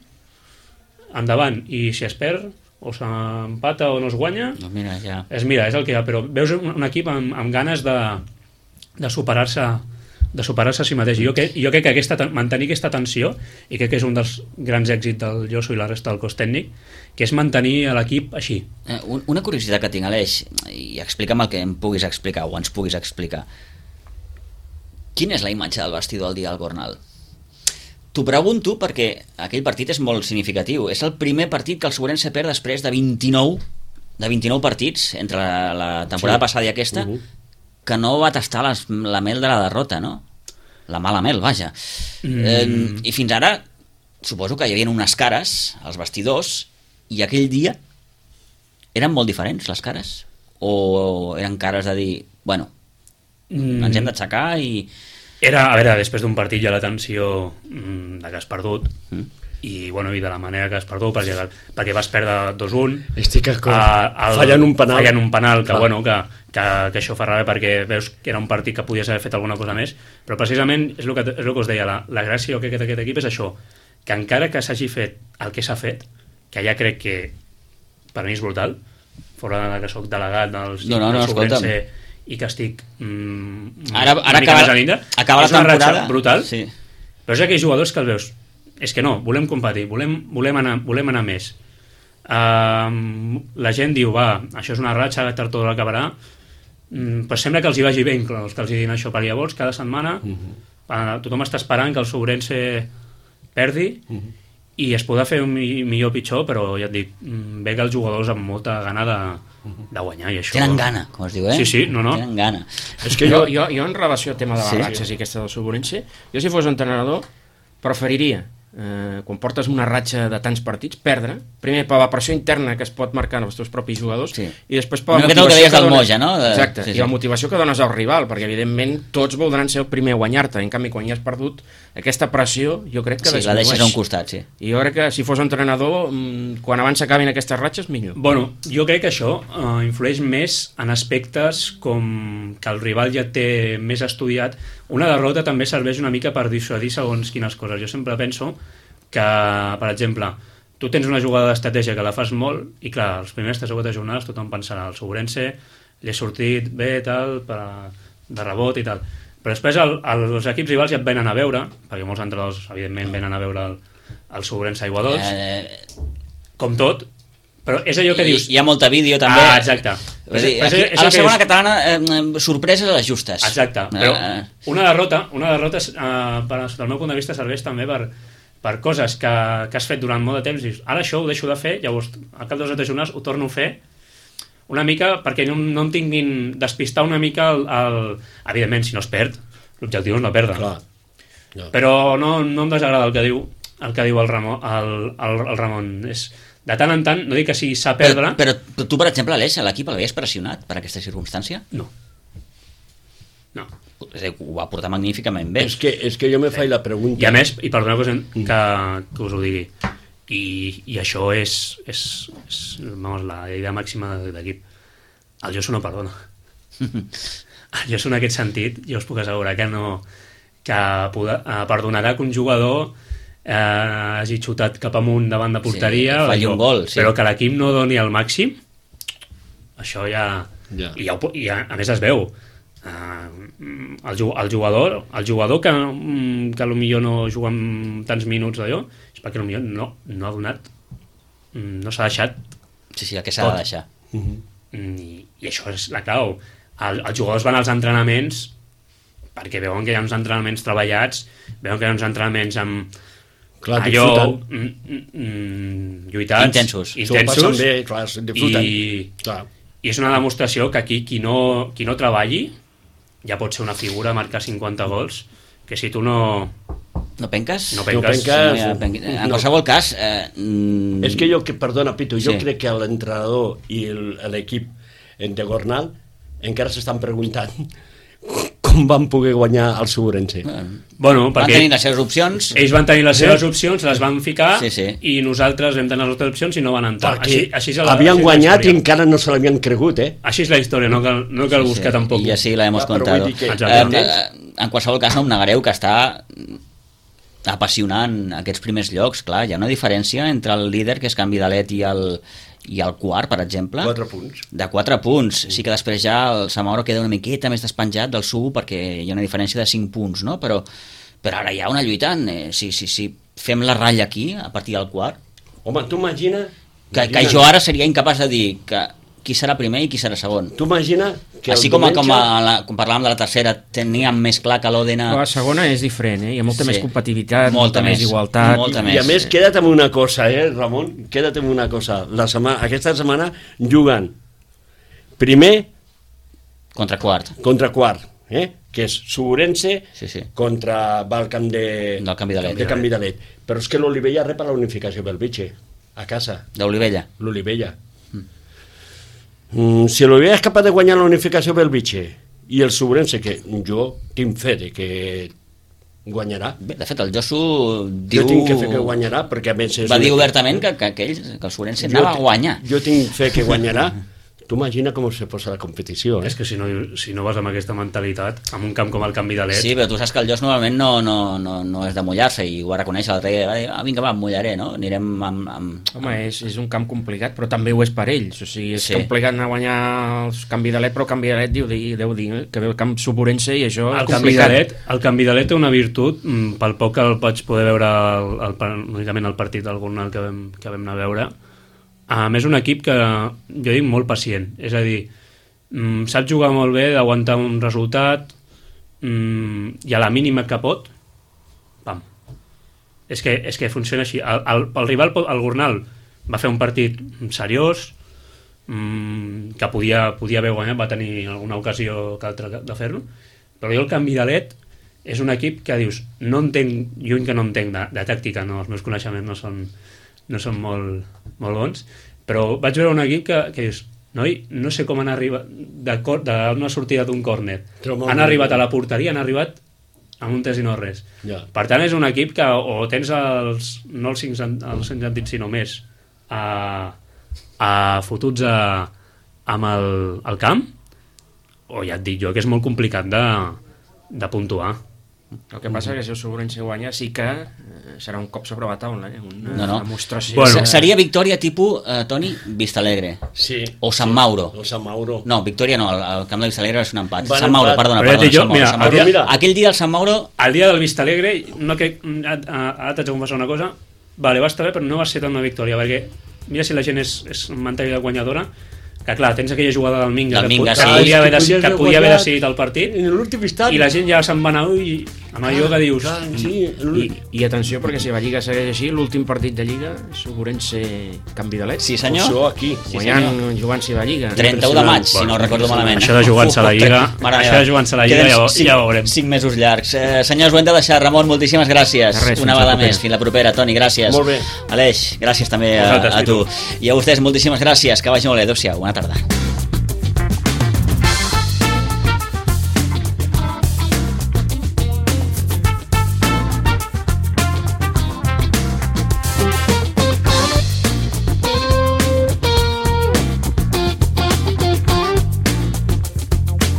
endavant, i si es perd, o s'empata o no es guanya, Doncs mira, ja... és, mira, és el que hi ha, però veus un, un equip amb, amb ganes de, de superar-se de superar-se a si mateix. Jo, que, jo crec que aquesta, ten- mantenir aquesta tensió, i crec que és un dels grans èxits del Josu i la resta del cos tècnic, que és mantenir l'equip així. Eh, un- Una curiositat que tinc, Aleix, i explica'm el que em puguis explicar, o ens puguis explicar. Quina és la imatge del vestidor el dia del Gornal? T'ho pregunto perquè aquell partit és molt significatiu. És el primer partit que el Sobrense perd després de vint-i-nou de vint-i-nou partits entre la, la temporada Sí. passada i aquesta, Uh-huh. que no va tastar les, la mel de la derrota, no? La mala mel, vaja. Mm. Eh, I fins ara, suposo que hi havia unes cares als vestidors, i aquell dia eren molt diferents, les cares? O eren cares de dir, bueno, Mm. ens hem d'aixecar i... Era, a veure, després d'un partit hi ha la tensió mm, de que has perdut, Mm. i, bueno, i de la manera que has perdut, perquè, perquè vas perdre dos a un, Estic d'acord. Uh, el, Fallen un penal. fallen un penal que, Clar. bueno, que, que, que això fa ràbia perquè veus que era un partit que podies haver fet alguna cosa més, però precisament és el que, és el que us deia, la, la gràcia jo crec que d'aquest equip és això, que encara que s'hagi fet el que s'ha fet, que ja crec que per mi és brutal, fora de que soc delegat dels, No, no, no, del Sobrense escolta'm. i que estic mm, Ara, una ara mica acaba, més a l'Índia, acaba la és una ratxa temporada... brutal, Sí. però és aquells jugadors que els veus, és que no, volem competir, volem, volem, anar, volem anar més. Uh, la gent diu, va, això és una ratxa, tard tot acabarà, mm, però sembla que els hi vagi bé inclòs, que els hi diguin això, perquè llavors cada setmana uh -huh. uh, tothom està esperant que el Sobrense perdi, uh -huh. i es podrà fer un mi- millor o pitjor, però ja et dic, mm, ve que els jugadors amb molta gana de, de guanyar, i això... Tenen gana, com es diu, eh? Sí, sí, no, no. Tenen gana. És que Jo, jo... jo, jo en relació al tema de les Sí. ratxes i aquesta del Suburense, jo si fos entrenador preferiria, eh, quan portes una ratxa de tants partits, perdre, primer per la pressió interna que es pot marcar en els teus propis jugadors, Sí. i després per la Una miqueta el que motivació deies del dones- Moja, no? De- Exacte, sí, i sí. la motivació que dones al rival, perquè evidentment tots voldran ser el primer a guanyar-te, en canvi quan ja has perdut, aquesta pressió jo crec que Sí, la disminueix. deixes a un costat, sí. I jo crec que si fos entrenador, mm, quan abans s'acabin aquestes ratxes, millor. Bueno, jo crec que això uh, influeix més en aspectes com que el rival ja té més estudiat. Una derrota també serveix una mica per dissuadir segons quines coses. Jo sempre penso que, per exemple, tu tens una jugada d'estratègia que la fas molt i, clar, els primers tres o quatre jornades tothom pensarà el Sobrense li ha sortit bé, tal, per, de rebot i tal. Però després el, els equips rivals ja et venen a veure, perquè molts entrenadors, evidentment, venen a veure el, el Sobrense Aigua Dols, Eh, com tot, però és allò que i, dius... hi ha molta vídeo també. Ah, exacte. És dir, aquí, a la segona catalana, eh, sorpreses a les justes. Exacte, però una derrota, una derrota eh, per, del meu punt de vista serveix també per, per coses que, que has fet durant molt de temps i dius, ara això ho deixo de fer, llavors al cap de dos o tres jornades ho torno a fer una mica perquè no, no em tinguin despistar una mica el, el... evidentment, si no es perd, l'objectiu és no perdre. Clar. No. Però no, no em desagrada el que diu el que diu el Ramon, el, el, el Ramon. És, de tant en tant, no dic que sigui sa perdre... Però, però tu, per exemple, Aleix, a l'equip l'havies pressionat per aquesta circumstància? No. No. És a dir, ho va portar magníficament bé. És que, és que jo me faig la pregunta... I a més, i perdoneu que, que, que us ho digui, i, i això és, és, és vamos, la idea màxima de l'equip. El Josu no perdona. El Josu en aquest sentit, jo us puc assegurar que no... que poder, eh, perdonarà que un jugador eh, hagi xutat cap amunt davant de porteria, sí, falli un gol, sí. Però que l'equip no doni el màxim, això ja... Ja. I, ja, i ja, a més es veu. Uh, el, el jugador el jugador que, que potser no juga amb tants minuts d'allò és perquè potser no, no ha donat, no s'ha deixat sí, sí, el que s'ha de deixar. Uh-huh. I, i això és la clau. El, els jugadors van als entrenaments perquè veuen que hi ha uns entrenaments treballats, veuen que hi ha uns entrenaments amb clar, allò mm, mm, lluitats, intensos, intensos bé, clar, i, clar. i és una demostració que aquí qui no, qui no treballi ja pot ser una figura, marcar cinquanta gols, que si tu no... No penques? No penques. No penques. No, ja penqui... En no. qualsevol cas... Eh, mm... És que jo, que, perdona, Pitu, jo sí. crec que l'entrenador i l'equip de Gornal encara s'estan preguntant com van poder guanyar el Segurense. Bueno, van tenir les seves opcions. Ells van tenir les seves opcions, les van ficar, sí, sí. i nosaltres vam tenir les nostres opcions i no van entrar. Perquè així, així la, havien així guanyat i encara no se l'havien cregut, eh? Així és la història, no cal, no cal sí, buscar sí. tampoc. I així la hemos Ah, però contado. vull dir que- Eh, eh, en qualsevol cas no em negareu que està apassionant aquests primers llocs. Clar, hi ha una diferència entre el líder, que és Can Vidalet, i el, i el quart, per exemple. Quatre punts. De quatre punts. Sí que després ja el Samauro queda una miqueta més despenjat del Subo perquè hi ha una diferència de cinc punts, no? Però, però ara hi ha una lluitant. Eh, si, si, si fem la ratlla aquí, a partir del quart, Home, tu imagina... que, que jo ara seria incapaç de dir que qui serà primer i qui serà segon. Tu imagina que Així el com, diumenge... com, a la, com parlàvem de la tercera, teníem més clar que l'Òdena... La segona és diferent, eh? Hi ha molta Sí. més competitivitat, Molta molta, més més, igualtat. molta I, més. I a més, queda't amb una cosa, eh, Ramon? Queda't amb una cosa. La setmana, aquesta setmana juguen primer Contra quart. contra quart, eh? Que és Segurense Sí, sí. contra va al camp de, Del Can Vidalet. de Can Vidalet. Però és que l'Olivella rep la unificació pel Vitxe, a casa, D'Olivella. l'Olivella. Mm, si l'Olivella és capaç de guanyar la unificació pel Vitxe i el Segurense, que jo tinc fe de que guanyarà, Bé, de fet, el Josu jo diu... tinc fe que guanyarà, perquè a més és Va un dir equip- obertament que, que, que, ell, que el Segurense Jo anava a ti- guanyar. Jo tinc fe que guanyarà. Tu imagina com se posa la competició, eh? És que si no, si no vas amb aquesta mentalitat, amb un camp com el Can Vidalet, Sí, però tu saps que el Jos normalment no, no, no, no és de mullar-se i ho va reconèixer l'altre dia. Va dir, ah, vinga, va, em mullaré, no? Anirem amb... amb... Home, és, és un camp complicat, però també ho és per ells. O sigui, és Sí. sí. complicat anar a guanyar el Can Vidalet, però el Can Vidalet diu, deu dir eh, que ve el camp Suburense i això el és Can complicat. Vidalet, el Can Vidalet té una virtut, mm, pel poc que el vaig poder veure el, el, el, únicament el partit d'algun que vam, que vam anar a veure. A més, un equip que jo dic molt pacient, és a dir, mm, sap jugar molt bé, d'aguantar un resultat, mm, i a la mínima que pot, pam. És que, és que funciona així. El, el, el rival, el Gornal, va fer un partit seriós, mm, que podia, podia haver guanyat, va tenir alguna ocasió que altra de fer-lo, però jo el Can Vidalet és un equip que dius, no entenc, lluny que no entenc de, de tàctica, no, els meus coneixements no són, no són molt, molt bons, però vaig veure un equip que, que dius, noi, no sé com han arribat d'una sortida d'un córner, Trobo han un- arribat a la porteria, han arribat amb un tres i no res. Ja. Per tant, és un equip que o tens els, no els cinc, sen- els cinc sentits, sinó més, a, a fotuts a, amb el, el camp, o ja et dic jo que és molt complicat de, de puntuar. El que passa és que si el Segurense guanya sí que eh, serà un cop sobre la taula, eh? una No, no. demostració. Bueno. de- Seria victòria tipus, eh, Toni, Vistalegre. Sí. O Sant Mauro. O Sant Mauro. No, victòria no, el, el camp de Vistalegre és un empat. Van Sant Mauro, empat. perdona, Però ja et perdona, dic jo, Sant Mauro, mira, Sant Mauro. però mira- Aquell dia el Sant Mauro... El dia del Vista Alegre, no que, ara, ara t'haig de confessar una cosa, vale, va estar bé, però no va ser tant una victòria, perquè mira si la gent és, és mentalitat guanyadora, que clar, tens aquella jugada del Minga, Del que, Minga, que, sí. podia haver, Que decidit, que podies podia haver guanyar decidit el partit, En l'últim instant... i la gent ja se'n va anar i amb allò que dius... Clar, sí, I, I atenció, perquè si la Lliga segueix així, l'últim partit de Lliga segurament ser canvi de let. Sí, senyor. Això aquí. Sí, Guanyant, senyor. jugant-se la Lliga. trenta-u de maig, si no recordo malament. Això de jugar-se a la Lliga, Mare això meva. de jugar-se a la Lliga Queden ja, ho- cinc, ja ho veurem. cinc mesos llargs. Eh, senyors, ho hem de deixar. Ramon, moltíssimes gràcies. De res, Una fins la vegada propera. més. Fins la propera. Toni, gràcies. Molt bé. Aleix, gràcies també a, Vosaltres, a tu. Pitu. I a vostès, moltíssimes gràcies. Que vagi molt bé. Adéu-siau. Bona tarda.